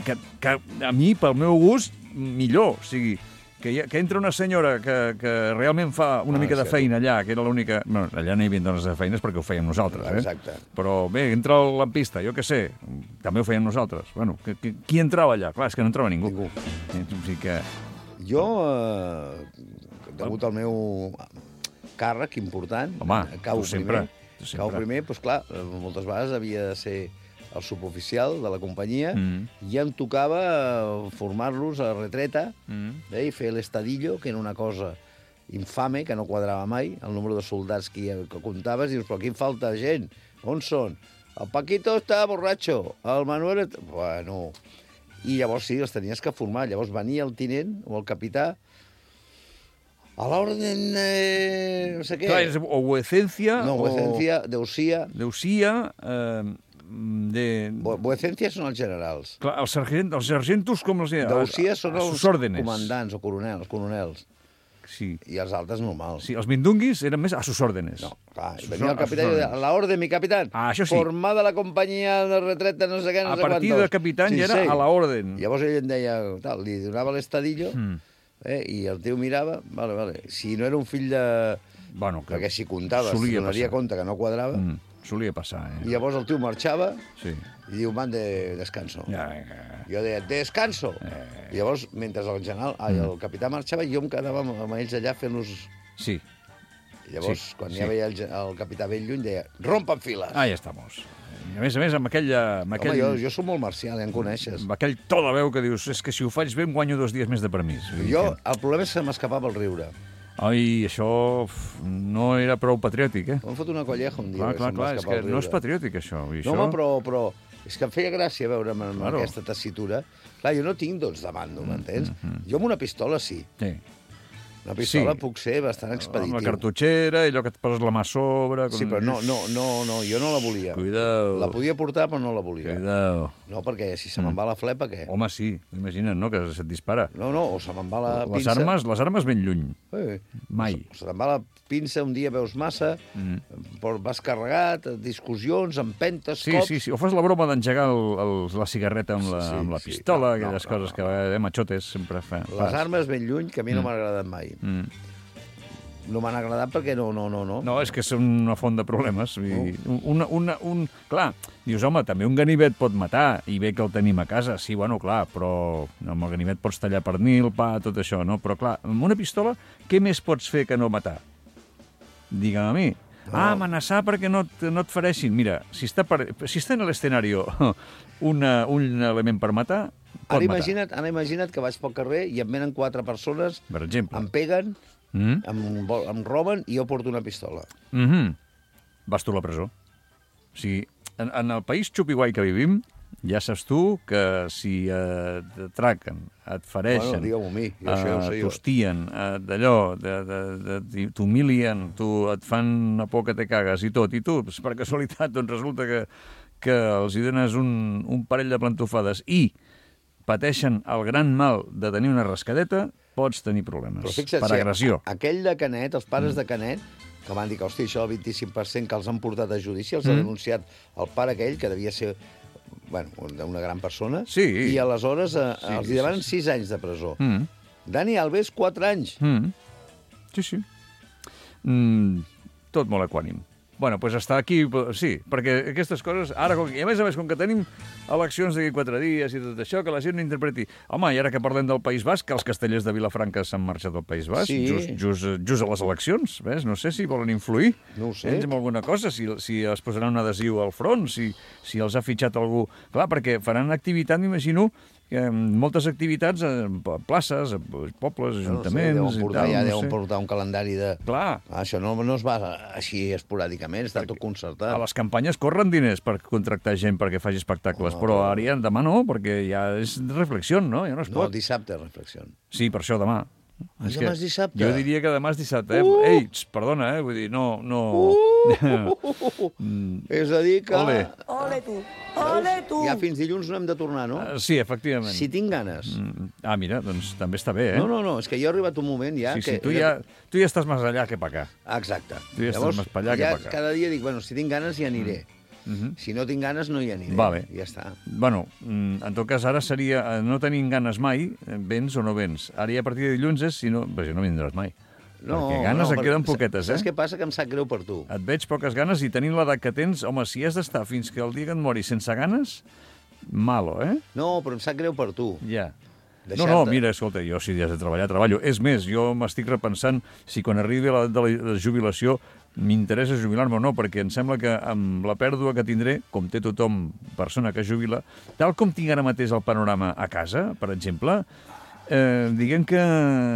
que, que, que a mi, pel meu gust, millor. O sigui, que, hi ha, que entra una senyora que, que realment fa una Ah, mica de sí. feina allà, que era l'única... Bueno, allà no hi havia dones de feines perquè ho fèiem nosaltres, eh? Exacte. Però bé, entra el lampista, jo què sé, també ho fèiem nosaltres. Bueno, que, que, qui entrava allà? Clar, és que no entrava ningú. Ningú. Eh, O sigui que... Jo, eh, degut al meu càrrec important, Home, cau tu sempre, primer, tu sempre. cau primer, doncs clar, eh, moltes vegades havia de ser el suboficial de la companyia Mm. i em tocava eh, formar-los a retreta Mm. eh, i fer l'estadillo, que era una cosa infame, que no quadrava mai, el número de soldats que, hi, que comptaves, i dius, però aquí em falta gent, on són? El Paquito està borratxo, el Manuel... est- Bueno, i llavors sí, els tenies que formar. Llavors venia el tinent o el capità a l'ordre de... no sé què. Clar, és o vuecencia, No, o vuecencia, deusía... deusia, eh, de... Vu- Vuecencia són els generals. Clar, els, sargent, els sargentos, com els deia? Deusía són a els sus órdenes. comandants o coronels, coronels. sí. I els altres normal. Sí, els mindunguis eren més a sus órdenes. No, clar, A sus venia el or- a capità i sus deia, órdenes. la orden, mi capitán. Ah, això sí. Formada la companyia de retreta, no sé què, no A sé partir quantos. de capitán Sí, ja era sí. a la orden. Llavors ell em deia, tal, li donava l'estadillo, Mm. eh, i el tio mirava, vale, vale. Si no era un fill de... Bueno, que Perquè si comptaves, solia donaria passar. compte que no quadrava, Mm, solia passar, eh? i llavors el tio marxava Sí. i diu, man, de descanso. Ja, ja. Jo deia, descanso! Eh. I llavors, mentre el general, ai, el capità marxava, jo em quedava amb, amb ells allà fent-los... Sí. I llavors, Sí, quan sí. ja veia el, ge- el capità ben lluny, deia, rompen files! Ah, ja estamos. I a més a més, amb aquell... Amb aquell... Home, jo, jo soc molt marcial, ja em coneixes. amb aquell to de veu que dius, és que si ho faig bé em guanyo dos dies més de permís. Vull dir Jo, que- el problema és que m'escapava el riure. Ai, això uf, no era prou patriòtic, eh? Em fot una colleja un dia. Clar, que clar, se'm va clar, és escapar que el no és riure. patriòtic, això. I No, això... home, però, però és que em feia gràcia veure'm amb Claro. aquesta tessitura. Clar, jo no tinc dots de mando, m'entens? mm. Jo amb una pistola sí. Sí. Una pistola Sí. puc ser bastant Amb expeditiu. la cartutxera, allò que et poses la mà a sobre... Sí, però no, no, no, no, jo no la volia. Cuidao. La podia portar, però no la volia. Cuidao. No, perquè si se me'n va la flepa, què? Home, sí, imagina't, no?, que se't dispara. No, no, o se me'n va la Les pinça... armes, les armes ben lluny. Eh, Mai. o se te'n va la pinça, un dia veus massa, mm. vas carregat, discussions, empentes, Sí, cops... sí, sí. O fas la broma d'engegar el, el, la cigarreta amb la, Sí, amb la sí. pistola, No, aquelles no, coses no, que eh, machotes sempre fa. Les fas. armes ben lluny, que a mi no m'han agradat mai. Mm. No m'han agradat perquè no, no, no, no. No, és que són una font de problemes. I una, una, un... Clar, dius, home, també un ganivet pot matar, i bé que el tenim a casa. Sí, bueno, clar, però amb el ganivet pots tallar pernil, pa, tot això, no? Però, clar, amb una pistola, què més pots fer que no matar? Digue'm a mi. No. Ah, amenaçar perquè no, et- no et fareixin. Mira, si està, per, si està en l'escenari una, un element per matar, pot Ara matar. imagina't, ara imagina't que vaig pel carrer i em venen quatre persones, Per exemple. em peguen, Mm? em, vol- em roben i jo porto una pistola. Mm -hmm. Vas tu a la presó. O sigui, en, en el país xupiguai que vivim, ja saps tu que si eh, t'atraquen, et fareixen, Bueno, digue-m'ho a mi, jo això ja ho sé jo. t'hostien, eh, d'allò, de, de, de, de, t'humilien, tu, et fan una por que te cagues i tot, i tu, pues, per casualitat, doncs resulta que, que els hi dones un, un parell de plantofades i pateixen el gran mal de tenir una rascadeta, pots tenir problemes Però fixa't, per si agressió. a- aquell de Canet, els pares de Canet, que van dir que, hòstia, això del vint-i-cinc per cent que els han portat a judici, els ha denunciat el pare aquell, que devia ser bueno, una gran persona, Sí. i aleshores eh, Sí, els sí, hi demanen sis anys de presó. Mm. Dani Alves, quatre anys. Mm. Sí, sí. Mm, tot molt equànim. Bueno, doncs està aquí, sí, perquè aquestes coses, ara, com, i a més a més, com que tenim eleccions d'aquí quatre dies i tot això, que la gent no interpreti. Home, i ara que parlem del País Basc, que els castellers de Vilafranca s'han marxat del País Basc, Sí. just, just, just a les eleccions, ves? No sé si volen influir No ho sé. ells en alguna cosa, si, si es posaran un adhesiu al front, si, si els ha fitxat algú... Clar, perquè faran activitat, m'imagino, que moltes activitats en places, en pobles, ajuntaments... No sé, deuen portar, i tal, ja no deuen sé. portar un calendari de... Clar, Ah, això no, no es va així esporàdicament, està tot concertat. a les campanyes corren diners per contractar gent perquè faci espectacles, però ara ja demà no, perquè ja és reflexió, no? Ja no es No, pot. dissabte, reflexió. Sí, per això demà. Ah, demà és dissabte? Jo diria que demà és dissabte, eh? Uh! Ei, tx, perdona, eh? Vull dir, no... no... És a dir que... Ole. Ole tu, ole tu. Ja fins dilluns no hem de tornar, no? Ah, sí, efectivament. Si tinc ganes. Mm, Ah, mira, doncs també està bé, eh? No, no, no, és que jo he arribat un moment ja sí, que... sí, tu ja, tu ja estàs més allà que per acá. Exacte. Tu ja estàs més pa allà que ja pa acá. cada dia dic, bueno, si tinc ganes ja aniré. Si no tinc ganes no hi aniré. Vale. Ja està. Bueno, mm, en tot cas, ara seria, eh, no tenint ganes mai, eh, vens o no vens. Ara ja a partir de dilluns és, si no, però si no vindràs mai. No, Perquè ganes no, et queden poquetes, eh? Saps què passa? Que em sap greu per tu. Et veig poques ganes i tenint l'edat que tens, home, si has d'estar fins que el dia que et moris sense ganes, malo, eh? No, però em sap greu per tu. Ja. No, Deixar-te. no, mira, escolta, jo si has de treballar, treballo. És més, jo m'estic repensant si quan arribi la, de la jubilació m'interessa jubilar-me o no, perquè em sembla que amb la pèrdua que tindré, com té tothom persona que jubila, tal com tinc ara mateix el panorama a casa, per exemple, eh, diguem que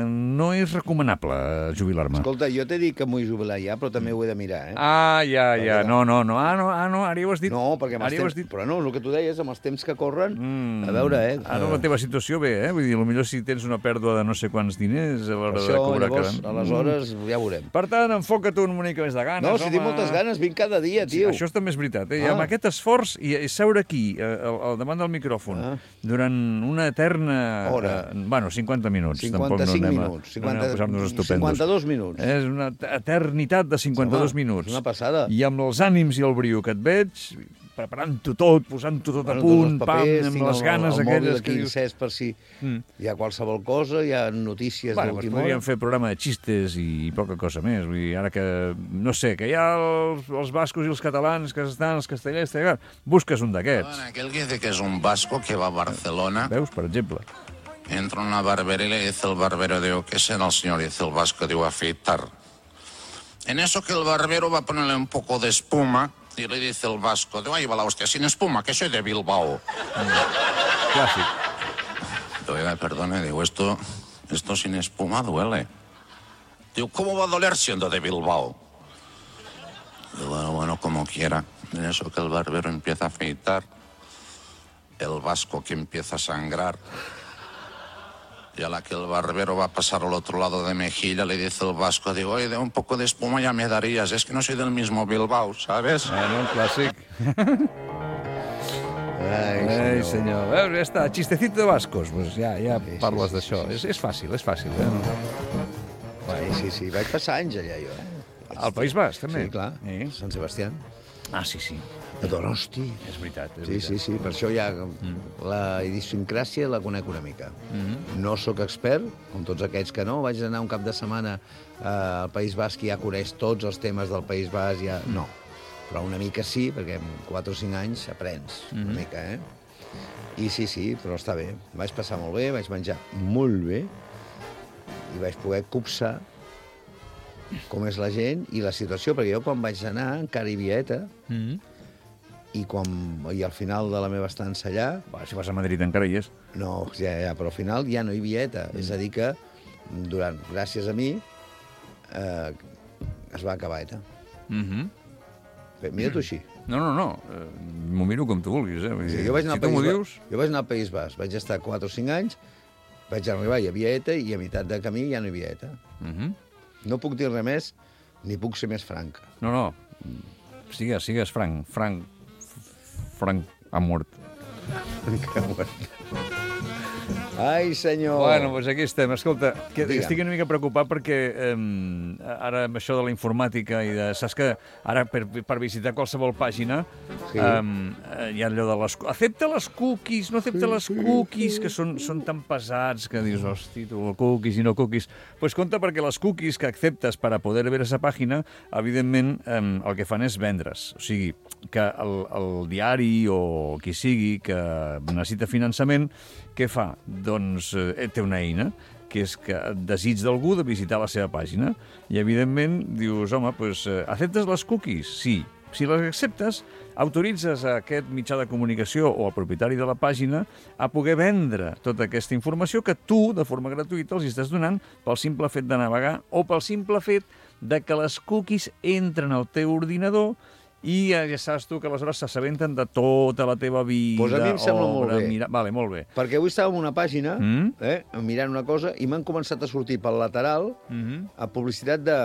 no és recomanable jubilar-me. Escolta, jo t'he dit que m'ho vull jubilar ja, però també ho he de mirar, eh? Ah, ja, ja, no, no, no, ah, no, ah, no, ara ja ho has dit. No, perquè amb Ara els ja ho temps... has dit. Però no, el que tu deies, amb els temps que corren, Mm. a veure, eh? Ara la teva situació bé, eh? Vull dir, potser si tens una pèrdua de no sé quants diners a l'hora de Això, cobrar llavors, cada... aleshores, ja veurem. Per tant, enfoca't una mica més de ganes, No, si tinc home. moltes ganes, vinc cada dia, Sí, tio. això també és veritat, eh? I Ah. amb aquest esforç i, i seure aquí, eh, al, al davant del micròfon, Ah. durant una eterna... Hora. Eh, bueno, Bueno, cinquanta minuts. cinquanta-cinc no minuts. cinquanta, no posar-nos estupendos. cinquanta-dos minuts. És una eternitat de cinquanta-dos Home, minuts. és una passada. I amb els ànims i el brio que et veig, preparant-ho tot, posant-ho tot Bueno, a punt, tots els papers, pam, amb tinc les el- ganes el aquelles mòbil que aquí dius... encès per si Mm. hi ha qualsevol cosa, hi ha notícies Bueno, doncs d'última hora. podríem fer programa de xistes i poca cosa més. Vull dir, ara que, no sé, que hi ha els, els bascos i els catalans que estan, els castellers, tal, busques un d'aquests. Bueno, aquel que dice que es un vasco que va a Barcelona, Veus, per exemple? entra en una barbería y le dice el barbero, digo, ¿qué será el señor? Y dice el vasco, digo, afeitar. En eso que el barbero va a ponerle un poco de espuma y le dice el vasco, digo, ahí va la hostia, sin espuma, que soy de Bilbao. Clàssic. Oiga, perdone, digo, esto, esto sin espuma duele. Digo, ¿cómo va a doler siendo de Bilbao? Digo, bueno, bueno, como quiera. En eso que el barbero empieza a afeitar, el vasco que empieza a sangrar, y a la que el barbero va a pasar al otro lado de mejilla, le dice el vasco, digo, oye, de un poco de espuma ya me darías, es que no soy del mismo Bilbao, ¿sabes? Bueno, un clàssic. Ai, Ai, senyor. senyor. Veus, ja està. Chistecito de bascos. Pues ja, ja Sí, sí, parles sí, d'això. sí, És, és fàcil, és fàcil. Eh? Sí, sí, sí. Vaig passar anys allà, jo. Eh? Al País Basc, també. Sí, clar. Eh? Sant Sebastià. Ah, sí, sí. A Donosti. És veritat, és Sí, veritat. sí, sí. Per això ja la idiosincràsia la conec una mica. No sóc expert, com tots aquests que no. Vaig anar un cap de setmana eh, al País Basc i ja coneix tots els temes del País Basc. Ja... No, però una mica sí, perquè en quatre o cinc anys aprens una mica, eh? I sí, sí, però està bé. Vaig passar molt bé, vaig menjar molt bé i vaig poder copsar com és la gent i la situació, perquè jo quan vaig anar encara hi havia ETA, Mm. i, quan, i al final de la meva estança allà, Va, si vas a Madrid encara hi és. no, ja, ja, però al final ja no hi havia ETA. Mm. És a dir que, durant, gràcies a mi, eh, es va acabar ETA. Mm -hmm. Bé, mira-t'ho així. No, no, no. Eh, M'ho miro com tu vulguis, eh? Vull Sí, dir, jo vaig anar si al tu País m'ho Basc. dius... Jo vaig anar al País Basc. Vaig estar quatre o cinc anys, vaig arribar, hi havia ETA, i a meitat de camí ja no hi havia ETA. Mm -hmm. No puc dir res més, ni puc ser més franc. No, no. Sigues, sigues franc. Franc. Franc ha mort. Ai, senyor! Bueno, doncs aquí estem. Escolta, que Digue'm. estic una mica preocupat perquè eh, ara amb això de la informàtica i de... Saps que ara per, per visitar qualsevol pàgina Sí. eh, hi ha allò de les... Accepta les cookies, no accepta les cookies, que són, són tan pesats que dius, hosti, tu, cookies i no cookies. Doncs pues compte, perquè les cookies que acceptes per a poder ver esa pàgina, evidentment, eh, el que fan és vendre's. O sigui, que el, el diari o qui sigui que necessita finançament, què fa? Doncs eh, té una eina, que és que desig d'algú de visitar la seva pàgina. I, evidentment, dius, home, doncs, eh, acceptes les cookies? Sí. Si les acceptes, autoritzes a aquest mitjà de comunicació o al propietari de la pàgina a poder vendre tota aquesta informació que tu, de forma gratuïta, els estàs donant pel simple fet de navegar o pel simple fet de que les cookies entren al teu ordinador i ja saps tu que aleshores s'assabenten de tota la teva vida, Pues a mi em sembla molt obra, bé. mira... Vale, molt bé. Perquè avui estàvem en una pàgina, Mm. eh, mirant una cosa, i m'han començat a sortir pel lateral Mm -hmm. a publicitat de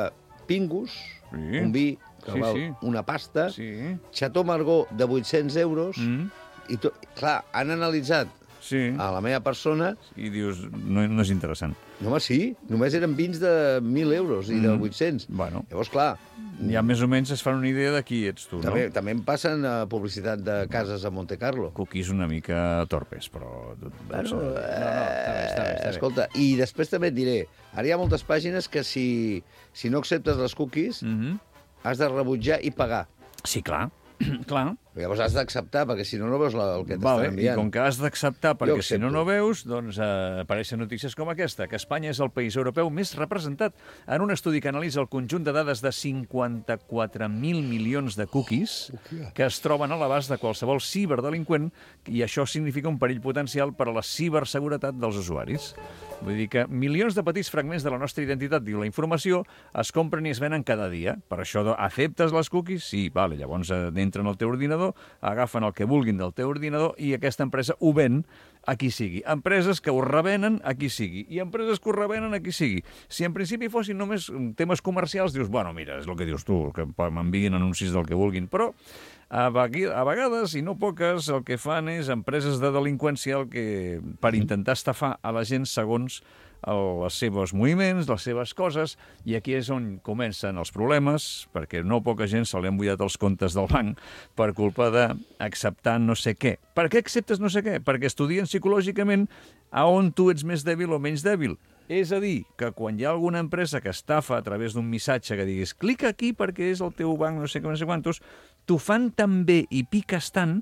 Pingus, Sí. un vi que Sí, val sí. una pasta, Sí. Chateau Margaux de vuit-cents euros, Mm. i to... clar, han analitzat Sí. a la meva persona. I dius, no, no és interessant. No, home, sí, només eren vins de mil euros i de Mm. vuit-cents. Bueno. Llavors, clar, Ja més o menys es fan una idea de qui ets tu, també, no? també em passen a publicitat de cases a Monte Carlo. Cookies una mica torpes, però... Bueno, no, no, està bé, està bé, està bé. escolta, i després també et diré, ara hi ha moltes pàgines que si, si no acceptes les cookies, Mm -hmm. has de rebutjar i pagar. Sí, clar, clar. Llavors has d'acceptar, perquè si no, no veus la, el que t'estan Vale, I enviant. com que has d'acceptar, Jo perquè si no accepto. no veus, doncs eh, apareixen notícies com aquesta, que Espanya és el país europeu més representat en un estudi que analitza el conjunt de dades de cinquanta-quatre mil milions de cookies que es troben a l'abast de qualsevol ciberdelinqüent, i això significa un perill potencial per a la ciberseguretat dels usuaris. Vull dir que milions de petits fragments de la nostra identitat, diu la informació, es compren i es venen cada dia. Per això, acceptes les cookies? Sí, vale, llavors eh, entren al teu ordinador ordinador, agafen el que vulguin del teu ordinador i aquesta empresa ho ven a qui sigui. Empreses que ho revenen a qui sigui i empreses que ho revenen a qui sigui. Si en principi fossin només temes comercials, dius, bueno, mira, és el que dius tu, que m'enviguin anuncis del que vulguin, però a vegades, i no poques, el que fan és empreses de delinqüència el que, per intentar estafar a la gent segons els seus moviments, les seves coses, i aquí és on comencen els problemes, perquè no poca gent se li han buidat els comptes del banc per culpa d'acceptar no sé què. Per què acceptes no sé què? Perquè estudien psicològicament a on tu ets més dèbil o menys dèbil. És a dir, que quan hi ha alguna empresa que estafa a través d'un missatge que diguis clica aquí perquè és el teu banc no sé què, no sé quantos, t'ho fan tan bé i piques tant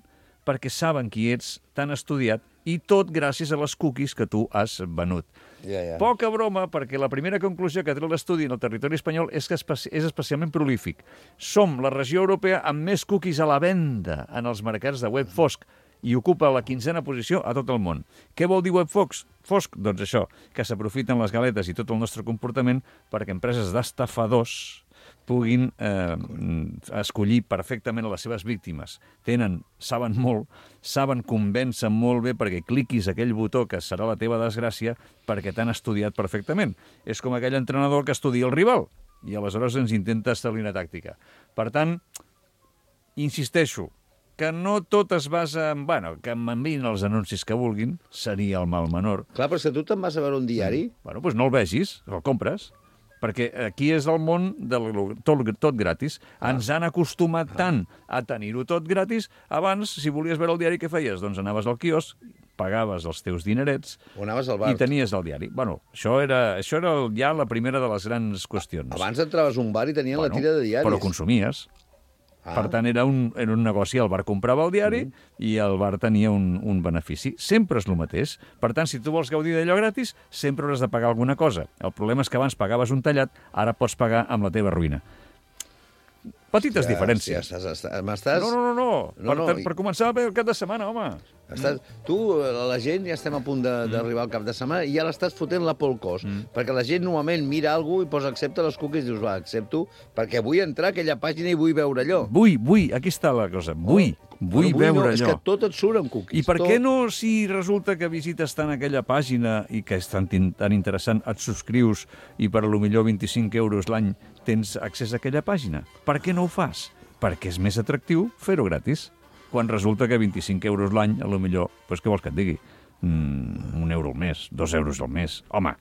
perquè saben qui ets, tan estudiat, i tot gràcies a les cookies que tu has venut. Ja, ja. Poca broma, perquè la primera conclusió que treu l'estudi en el territori espanyol és que és especialment prolífic. Som la regió europea amb més cookies a la venda en els mercats de web fosc i ocupa la quinzena posició a tot el món. Què vol dir web fosc? Fosc, doncs això, que s'aprofiten les galetes i tot el nostre comportament perquè empreses d'estafadors puguin eh, escollir perfectament a les seves víctimes. Tenen, saben molt, saben, convencen molt bé perquè cliquis aquell botó que serà la teva desgràcia perquè t'han estudiat perfectament. És com aquell entrenador que estudia el rival i aleshores ens intenta establir una tàctica. Per tant, insisteixo, que no tot es basa en... Bueno, que m'enviïn els anuncis que vulguin, seria el mal menor. Clar, però si tu te'n vas a veure un diari... Bueno, doncs no el vegis, el compres. Perquè aquí és el món de tot, tot gratis. Ah. Ens han acostumat ah. tant a tenir-ho tot gratis. Abans, si volies veure el diari, què feies? Doncs anaves al quiosc, pagaves els teus dinerets o anaves al bar i tenies el diari. Bueno, això era, això era ja la primera de les grans qüestions. Abans entraves a un bar i tenien bueno, la tira de diaris. Però consumies. Ah. Per tant, era un, era un negoci. El bar comprava el diari mm. i el bar tenia un, un benefici. Sempre és el mateix. Per tant, si tu vols gaudir d'allò gratis, sempre hauràs de pagar alguna cosa. El problema és que abans pagaves un tallat, ara pots pagar amb la teva ruïna. Petites ja, diferències. Ja estàs, estàs... No, no, no. no. no, per, no. Per, per començar bé el cap de setmana, home. Estàs... Tu, la gent, ja estem a punt d'arribar al cap de setmana i ja l'estàs fotent la por al cos. Mm. Perquè la gent normalment mira alguna cosa i posa accepta les cookies i dius, va, accepto, perquè vull entrar a aquella pàgina i vull veure allò. Vull, vull, aquí està la cosa. Vull, oh, vull, vull veure no, allò. És que tot et surt amb cookies. I per tot... què no, si resulta que visites tant aquella pàgina i que és tan, tan interessant, et subscrius i per a lo millor vint-i-cinc euros l'any tens accés a aquella pàgina? Per què no ho fas? Perquè és més atractiu fer-ho gratis. Quan resulta que vint-i-cinc euros l'any, a lo millor, doncs què vols que et digui? Mm, un euro al mes, dos euros al mes. Home,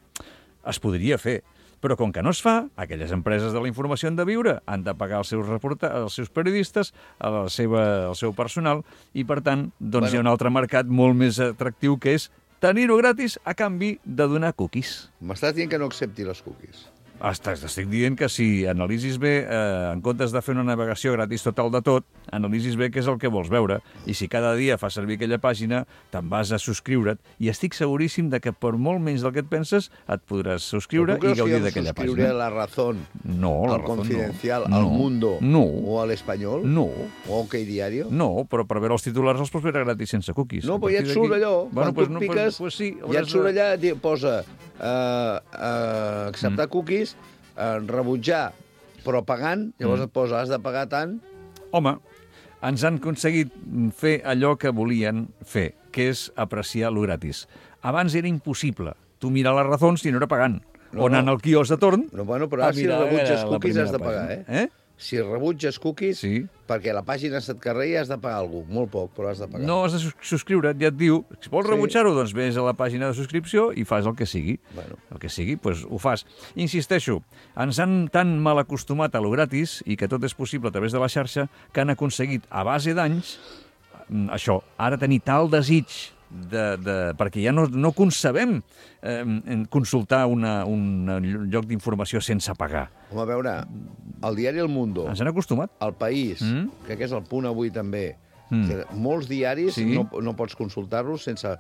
es podria fer. Però com que no es fa, aquelles empreses de la informació han de viure, han de pagar els seus, reporta els seus periodistes, a la seva, el seu personal, i per tant, doncs bueno. Hi ha un altre mercat molt més atractiu que és tenir-ho gratis a canvi de donar cookies. M'estàs dient que no accepti les cookies? Estic dient que si analitzis bé, eh, en comptes de fer una navegació gratis total de tot, analitzis bé què és el que vols veure. I si cada dia fas servir aquella pàgina, te'n vas a subscriure't. I estic seguríssim de que per molt menys del que et penses, et podràs subscriure i gaudir d'aquella pàgina. ¿Subscriure a La Razón, no, la al Razón, Confidencial, no. al Mundo no. o al Espanyol? No. O OK Diario? No, però per veure els titulars els pots veure gratis sense cookies. No, però ja et surt allò. Bueno, Quan pues, tu no, piques, pues, pues sí, ja et surt allà, posa uh, uh, acceptar mm. cookies, uh, rebutjar, però pagant, llavors mm. et posa, has de pagar tant. Home, ens han aconseguit fer allò que volien fer, que és apreciar lo gratis. Abans era impossible. Tu mirar la Razón si no era pagant. No, o anant no. al quiosc de torn... No, bueno, però ara si rebutges cookies has de pagar, eh? eh? Si rebutges cookies, sí. perquè la pàgina se't carrega has de pagar alguna cosa. Molt poc, però has de pagar. No, has de subscriure't, ja et diu. Si vols sí. rebutjar-ho, doncs vés a la pàgina de subscripció i fas el que sigui. Bueno. El que sigui, doncs ho fas. Insisteixo, ens han tan mal acostumat a lo gratis i que tot és possible a través de la xarxa que han aconseguit, a base d'anys, això, ara tenir tal desig De, de, perquè ja no, no concebem eh, consultar una, un lloc d'informació sense pagar. Home, a veure, el diari El Mundo... Ens han acostumat. El País, mm? crec que és el Punt Avui també. Mm. Que molts diaris sí. no, no pots consultar-los sense...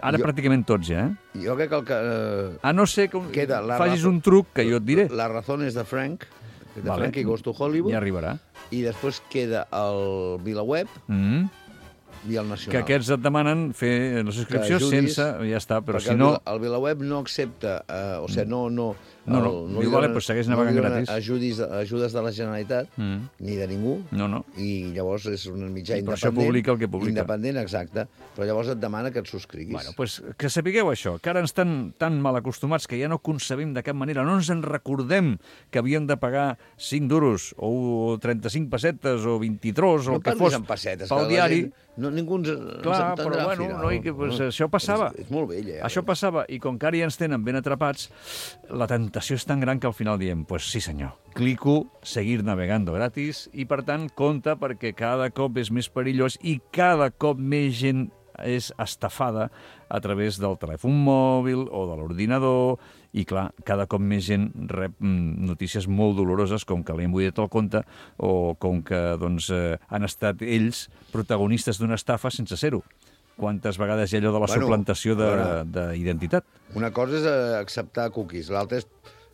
Ara jo, pràcticament tots, ja, eh? Jo crec que el que... Eh, a no ser que queda la facis razón, un truc que jo et diré. La Razón és de Frank, de vale. Frankie Goes to Hollywood. Ja arribarà. I després queda el VilaWeb, mm. i el Nacional. Que aquests et demanen fer la subscripció ajudis, sense... Ja està, però si no... El VilaWeb no accepta... Eh, o sigui, no, no, No, no, El, diu, vale, doncs segueix navegant no li donen gratis. Ajudes, ajudes de la Generalitat, Mm. ni de ningú, No, no. i llavors és un mitjà I per això independent. publica el que publica. Independent, exacte. Però llavors et demana que et subscriguis. Bueno, pues, que sapigueu això, que ara ens estan tan mal acostumats que ja no concebim de cap manera, no ens en recordem que havíem de pagar cinc duros o trenta-cinc pessetes o vint-i-tres o no el que parlis fos en pessetes, pel que la diari. gent- No, ningú ens, Clar, ens però entendrà bueno, al final. no, i que, pues, això passava. És, és molt vell, eh? Això passava, i com que ara ja ens tenen ben atrapats, la tentació és tan gran que al final diem, pues sí senyor, clico, seguir navegando gratis, i per tant, compte, perquè cada cop és més perillós i cada cop més gent és estafada a través del telèfon mòbil o de l'ordinador, i clar, cada cop més gent rep mm, notícies molt doloroses com que li han buidat el compte o com que doncs, eh, han estat ells protagonistes d'una estafa sense ser-ho. Quantes vegades hi ha allò de la Bueno, suplantació de- a veure. d'identitat? Una cosa és eh, acceptar cookies, l'altra és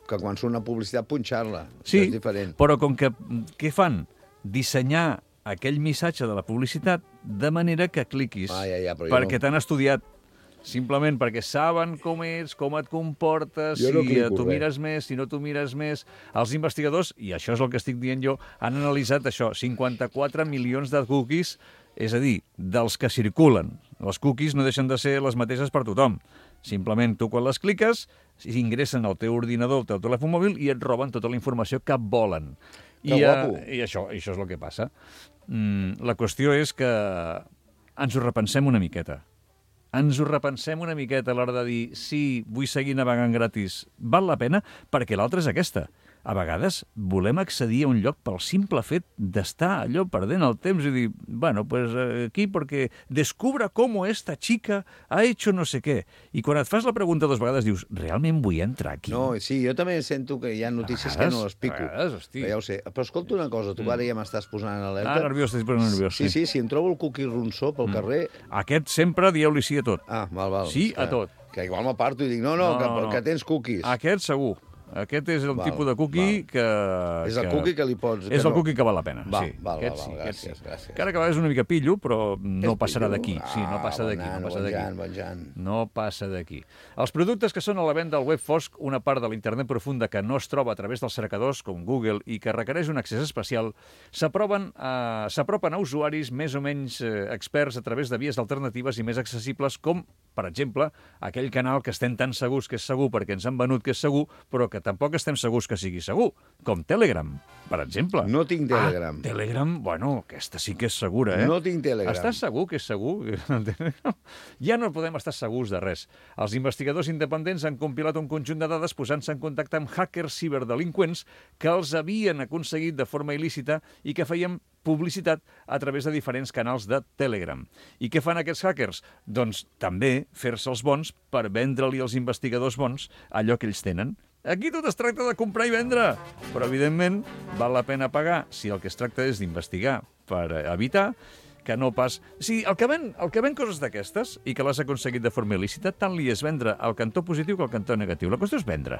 que quan surt una publicitat punxar-la. Sí, És diferent. però com que, què fan? Dissenyar aquell missatge de la publicitat de manera que cliquis, Ah, ja, ja, però jo perquè no- t'han estudiat, simplement perquè saben com ets, com et comportes, Jo no si clico tu res. mires més, si no tu mires més. Els investigadors, i això és el que estic dient jo, han analitzat això, cinquanta-quatre milions de cookies, és a dir, dels que circulen. Les cookies no deixen de ser les mateixes per tothom. Simplement tu quan les cliques, ingressen al teu ordinador, al teu telèfon mòbil i et roben tota la informació que volen. Que I, guapo. eh, I això, això és el que passa. Mm, la qüestió és que ens ho repensem una miqueta. Ens ho repensem una miqueta a l'hora de dir sí, vull seguir navegant gratis. Val la pena? Perquè l'altra és aquesta. A vegades volem accedir a un lloc pel simple fet d'estar allò perdent el temps i dir, bueno, pues aquí perquè descubra com esta chica ha hecho no sé què. I quan et fas la pregunta dues vegades dius, realment vull entrar aquí? No, sí, jo també sento que hi ha notícies A que vegades, no les pico. a vegades, hosti. Però ja ho sé. Però escolta una cosa, tu ara ja m'estàs posant en alerta. Ah, nerviós, estic posant nerviós. Sí, sí, si em trobo el cookie ronsó pel carrer... Aquest sempre dieu-li sí a tot. Ah, val, val. Sí a Que- tot. Que igual m'aparto i dic, no, no, No, que, no, no. que tens cookies. Aquest segur. Aquest és el Val, tipus de cookie val. que... És el cookie que li pots- que És el no- cookie que val la pena, Val, sí. val, Aquest val, sí, val, aquest gràcies, sí. gràcies. Encara que a vegades una mica pillo, però no És passarà pillo? d'aquí. Sí, no Ah, passa d'aquí, bon no nano, passa bon d'aquí. Jan, bon Jan. No passa d'aquí. Els productes que són a la venda al web fosc, una part de l'internet profunda que no es troba a través dels cercadors com Google i que requereix un accés especial, s'aproven a, s'apropen a usuaris més o menys eh, experts a través de vies alternatives i més accessibles com, per exemple, aquell canal que estem tan segurs que és segur perquè ens han venut que és segur, però que tampoc estem segurs que sigui segur, com Telegram, per exemple. No tinc Telegram. Ah, Telegram, bueno, aquesta sí que és segura, eh? No tinc Telegram. Estàs segur que és segur? Ja no podem estar segurs de res. Els investigadors independents han compilat un conjunt de dades posant-se en contacte amb hackers ciberdelinqüents que els havien aconseguit de forma il·lícita i que feien publicitat a través de diferents canals de Telegram. I què fan aquests hackers? Doncs també fer-se els bons per vendre-li als investigadors bons allò que ells tenen. Aquí tot es tracta de comprar i vendre, però evidentment val la pena pagar si el que es tracta és d'investigar per evitar que no pas... Sí, el que ven, el que ven coses d'aquestes i que l'has aconseguit de forma il·lícita, tant li és vendre el cantó positiu que el cantó negatiu. La qüestió és vendre.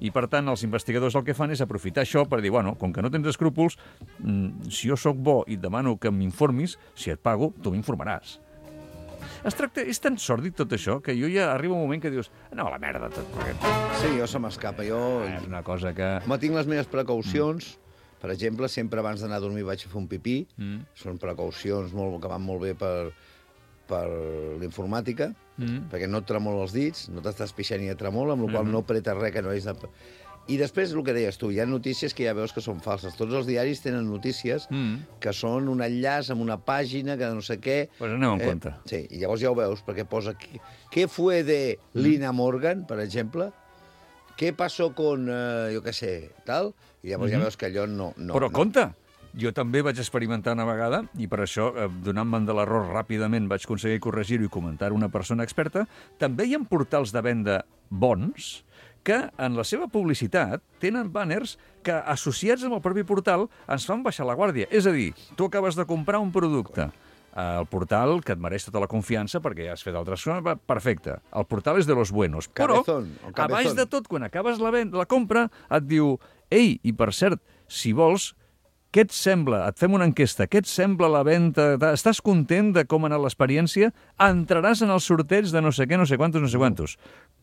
I, per tant, els investigadors el que fan és aprofitar això per dir, bueno, com que no tens escrúpols, mmm, si jo sóc bo i et demano que m'informis, si et pago, tu m'informaràs. Es tracta, és tan sòrdid tot això que jo ja arriba un moment que dius, no, a la merda, tot. Perquè Sí, jo se m'escapa. Jo... és una cosa que... Home, tinc les meves precaucions. Mm. Per exemple, sempre abans d'anar a dormir vaig a fer un pipí. Mm. Són precaucions molt, que van molt bé per, per l'informàtica, Mm. perquè no et tremola els dits, no t'estàs pixant ni et tremola, amb la qual Mhm. no apretes res que no és de... I després, el que deies tu, hi ha notícies que ja veus que són falses. Tots els diaris tenen notícies Mm. que són un enllaç amb una pàgina que no sé què... Pues anem en Eh, compte. Sí, i llavors ja ho veus, perquè posa... qui- ¿Qué fue de Lina Morgan, per exemple? ¿Qué pasó con, eh, jo què sé, tal? I llavors ja Mhm. veus que allò no... no Però no. compte, jo també vaig experimentar una vegada i per això, eh, donant-me'n de l'error ràpidament, vaig aconseguir corregir-ho i comentar una persona experta. També hi ha portals de venda bons que en la seva publicitat tenen banners que, associats amb el propi portal, ens fan baixar la guàrdia. És a dir, tu acabes de comprar un producte, el portal que et mereix tota la confiança perquè ja has fet altres coses, va, perfecte. El portal és de los buenos. Però, Cabezón, o a cabezón. baix de tot, quan acabes la, ven la compra, et diu, ei, i per cert, si vols, què et sembla? Et fem una enquesta. Què et sembla la venda? Estàs content de com ha anat l'experiència? Entraràs en el sorteig de no sé què, no sé quantos, no sé quantos.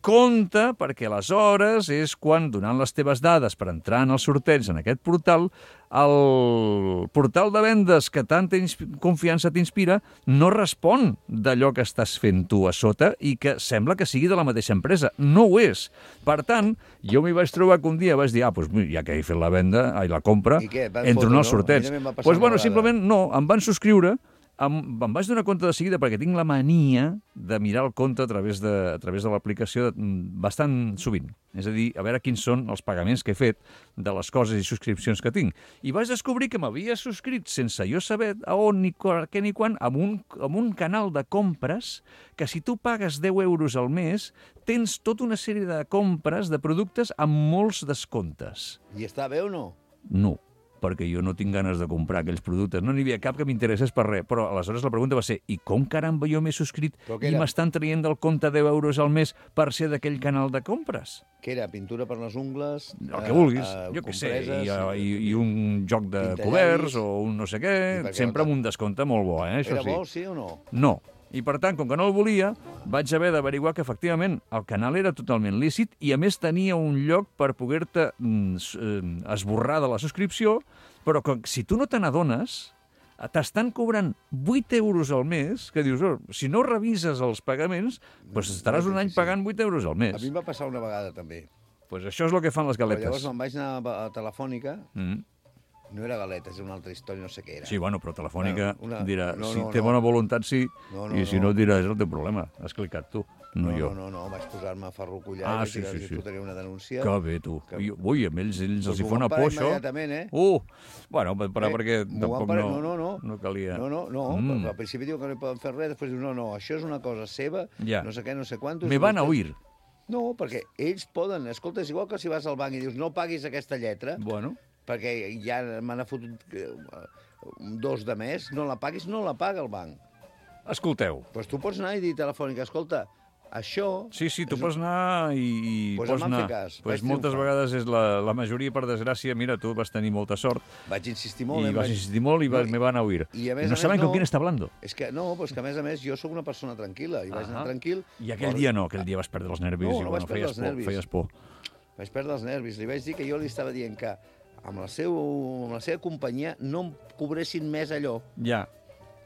Compte, perquè aleshores és quan, donant les teves dades per entrar en el sorteig en aquest portal, el portal de vendes que tanta confiança t'inspira no respon d'allò que estàs fent tu a sota i que sembla que sigui de la mateixa empresa. No ho és. Per tant, jo m'hi vaig trobar que un dia vaig dir, ah, doncs ja que he fet la venda, ai, la compra, entro en el sorteig. Doncs, pues, bueno, simplement no, em van subscriure. Em, em vaig donar compte de seguida perquè tinc la mania de mirar el compte a través de, a través de l'aplicació bastant sovint. És a dir, a veure quins són els pagaments que he fet de les coses i subscripcions que tinc. I vaig descobrir que m'havia subscrit sense jo saber a on, ni què ni quan, amb un, amb un canal de compres que si tu pagues deu euros al mes tens tota una sèrie de compres de productes amb molts descomptes. I està bé o no? No, perquè jo no tinc ganes de comprar aquells productes. No n'hi havia cap que m'interessés per res. Però aleshores la pregunta va ser, i com caramba jo m'he subscrit i m'estan traient del compte deu euros al mes per ser d'aquell canal de compres? Què era? Pintura per les ungles? El que vulguis, uh, jo què sé, i, i, i un joc de coberts o un no sé què, sempre amb un descompte molt bo, eh? Això era sí. bo, sí o no? No. I, per tant, com que no el volia, vaig haver d'averiguar que, efectivament, el canal era totalment lícit i, a més, tenia un lloc per poder-te mm, esborrar de la subscripció, però que, si tu no te n'adones, t'estan cobrant vuit euros al mes, que dius, oh, si no revises els pagaments, doncs estaràs un any pagant vuit euros al mes. A mi em va passar una vegada, també. Doncs pues això és el que fan les galetes. Però llavors me'n vaig anar a Telefònica... Mm. No era galetes, era una altra història, no sé què era. Sí, bueno, però Telefònica una, una... dirà, no, si no, té no. bona voluntat, sí, no, no, i si no, no dirà, és el teu problema. Has clicat tu, no, no jo. No, no, no, vaig posar-me a farrocollar ah, i sí, sí, sí. fotria una denúncia. Que bé, tu. Que... Ui, amb ells, ells els hi fa una por, això. Immediatament, eh? Uh, bueno, però eh, perquè tampoc pare... no, no, no, no calia. No, no, no, mm. al principi diu que no hi poden fer res, després diu, no, no, això és una cosa seva, ja. no sé què, no sé quantos... Me van a oír. No, perquè ells poden, escolta, és igual que si vas al banc i dius, no paguis aquesta lletra, bueno. perquè ja me n'ha fotut dos de més, no la paguis, no la paga el banc. Escolteu. Doncs pues tu pots anar i dir Telefònica, escolta, això... Sí, sí, tu pots anar i... i pues pots anar. Cas, pues moltes vegades és la, la majoria, per desgràcia, mira, tu vas tenir molta sort. Vaig insistir molt. I eh, vas vaig... insistir molt i vas, no, me van a oír. I, a més, I no a saben més, con quién està hablando. És que, no, pues que a més a més jo sóc una persona tranquil·la, i vaig anar tranquil... I aquell dia no, aquell dia vas perdre els nervis. No, i, no bueno, vaig perdre els por, nervis. Feies por. Vaig perdre els nervis. Li vaig dir que jo li estava dient que amb la, seu, amb la seva companyia no em cobressin més allò. Ja,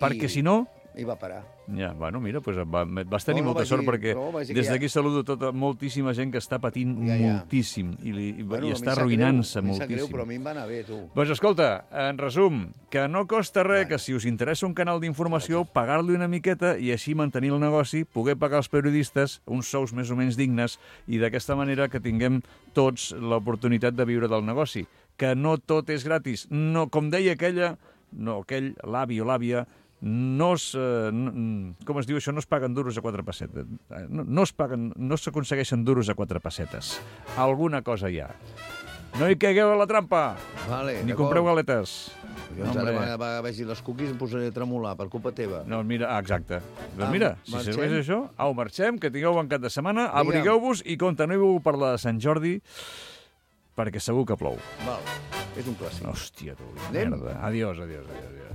perquè I... si no... I va parar. Ja, bueno, mira, pues va, vas tenir no, no, molta sort dir, perquè no, des d'aquí ja... saludo tota moltíssima gent que està patint ja, ja. moltíssim i, li, bueno, i està arruïnant-se moltíssim. A mi greu, però a mi em va anar bé, tu. Doncs escolta, en resum, que no costa res bueno. que si us interessa un canal d'informació, pagar-li una miqueta i així mantenir el negoci, poder pagar als periodistes uns sous més o menys dignes i d'aquesta manera que tinguem tots l'oportunitat de viure del negoci. Que no tot és gratis. No, com deia aquella, no, aquell l'avi o l'àvia, no es, eh, no, com es diu això, no es paguen duros a quatre pessetes. No, no es paguen, no s'aconsegueixen duros a quatre pessetes. Alguna cosa hi ha. No hi caigueu a la trampa, vale, ni compreu galetes. Jo no, ara va vegi les cookies em posaré a tremolar, per culpa teva. No, mira, ah, exacte. Doncs mira, ah, si marxem? Serveix això, au, marxem, que tingueu bon cap de setmana, abrigueu-vos i continueu per la de Sant Jordi, perquè segur que plou. Val, és un clàssic. Hòstia, tu, merda. Adiós, adiós, adiós, adiós.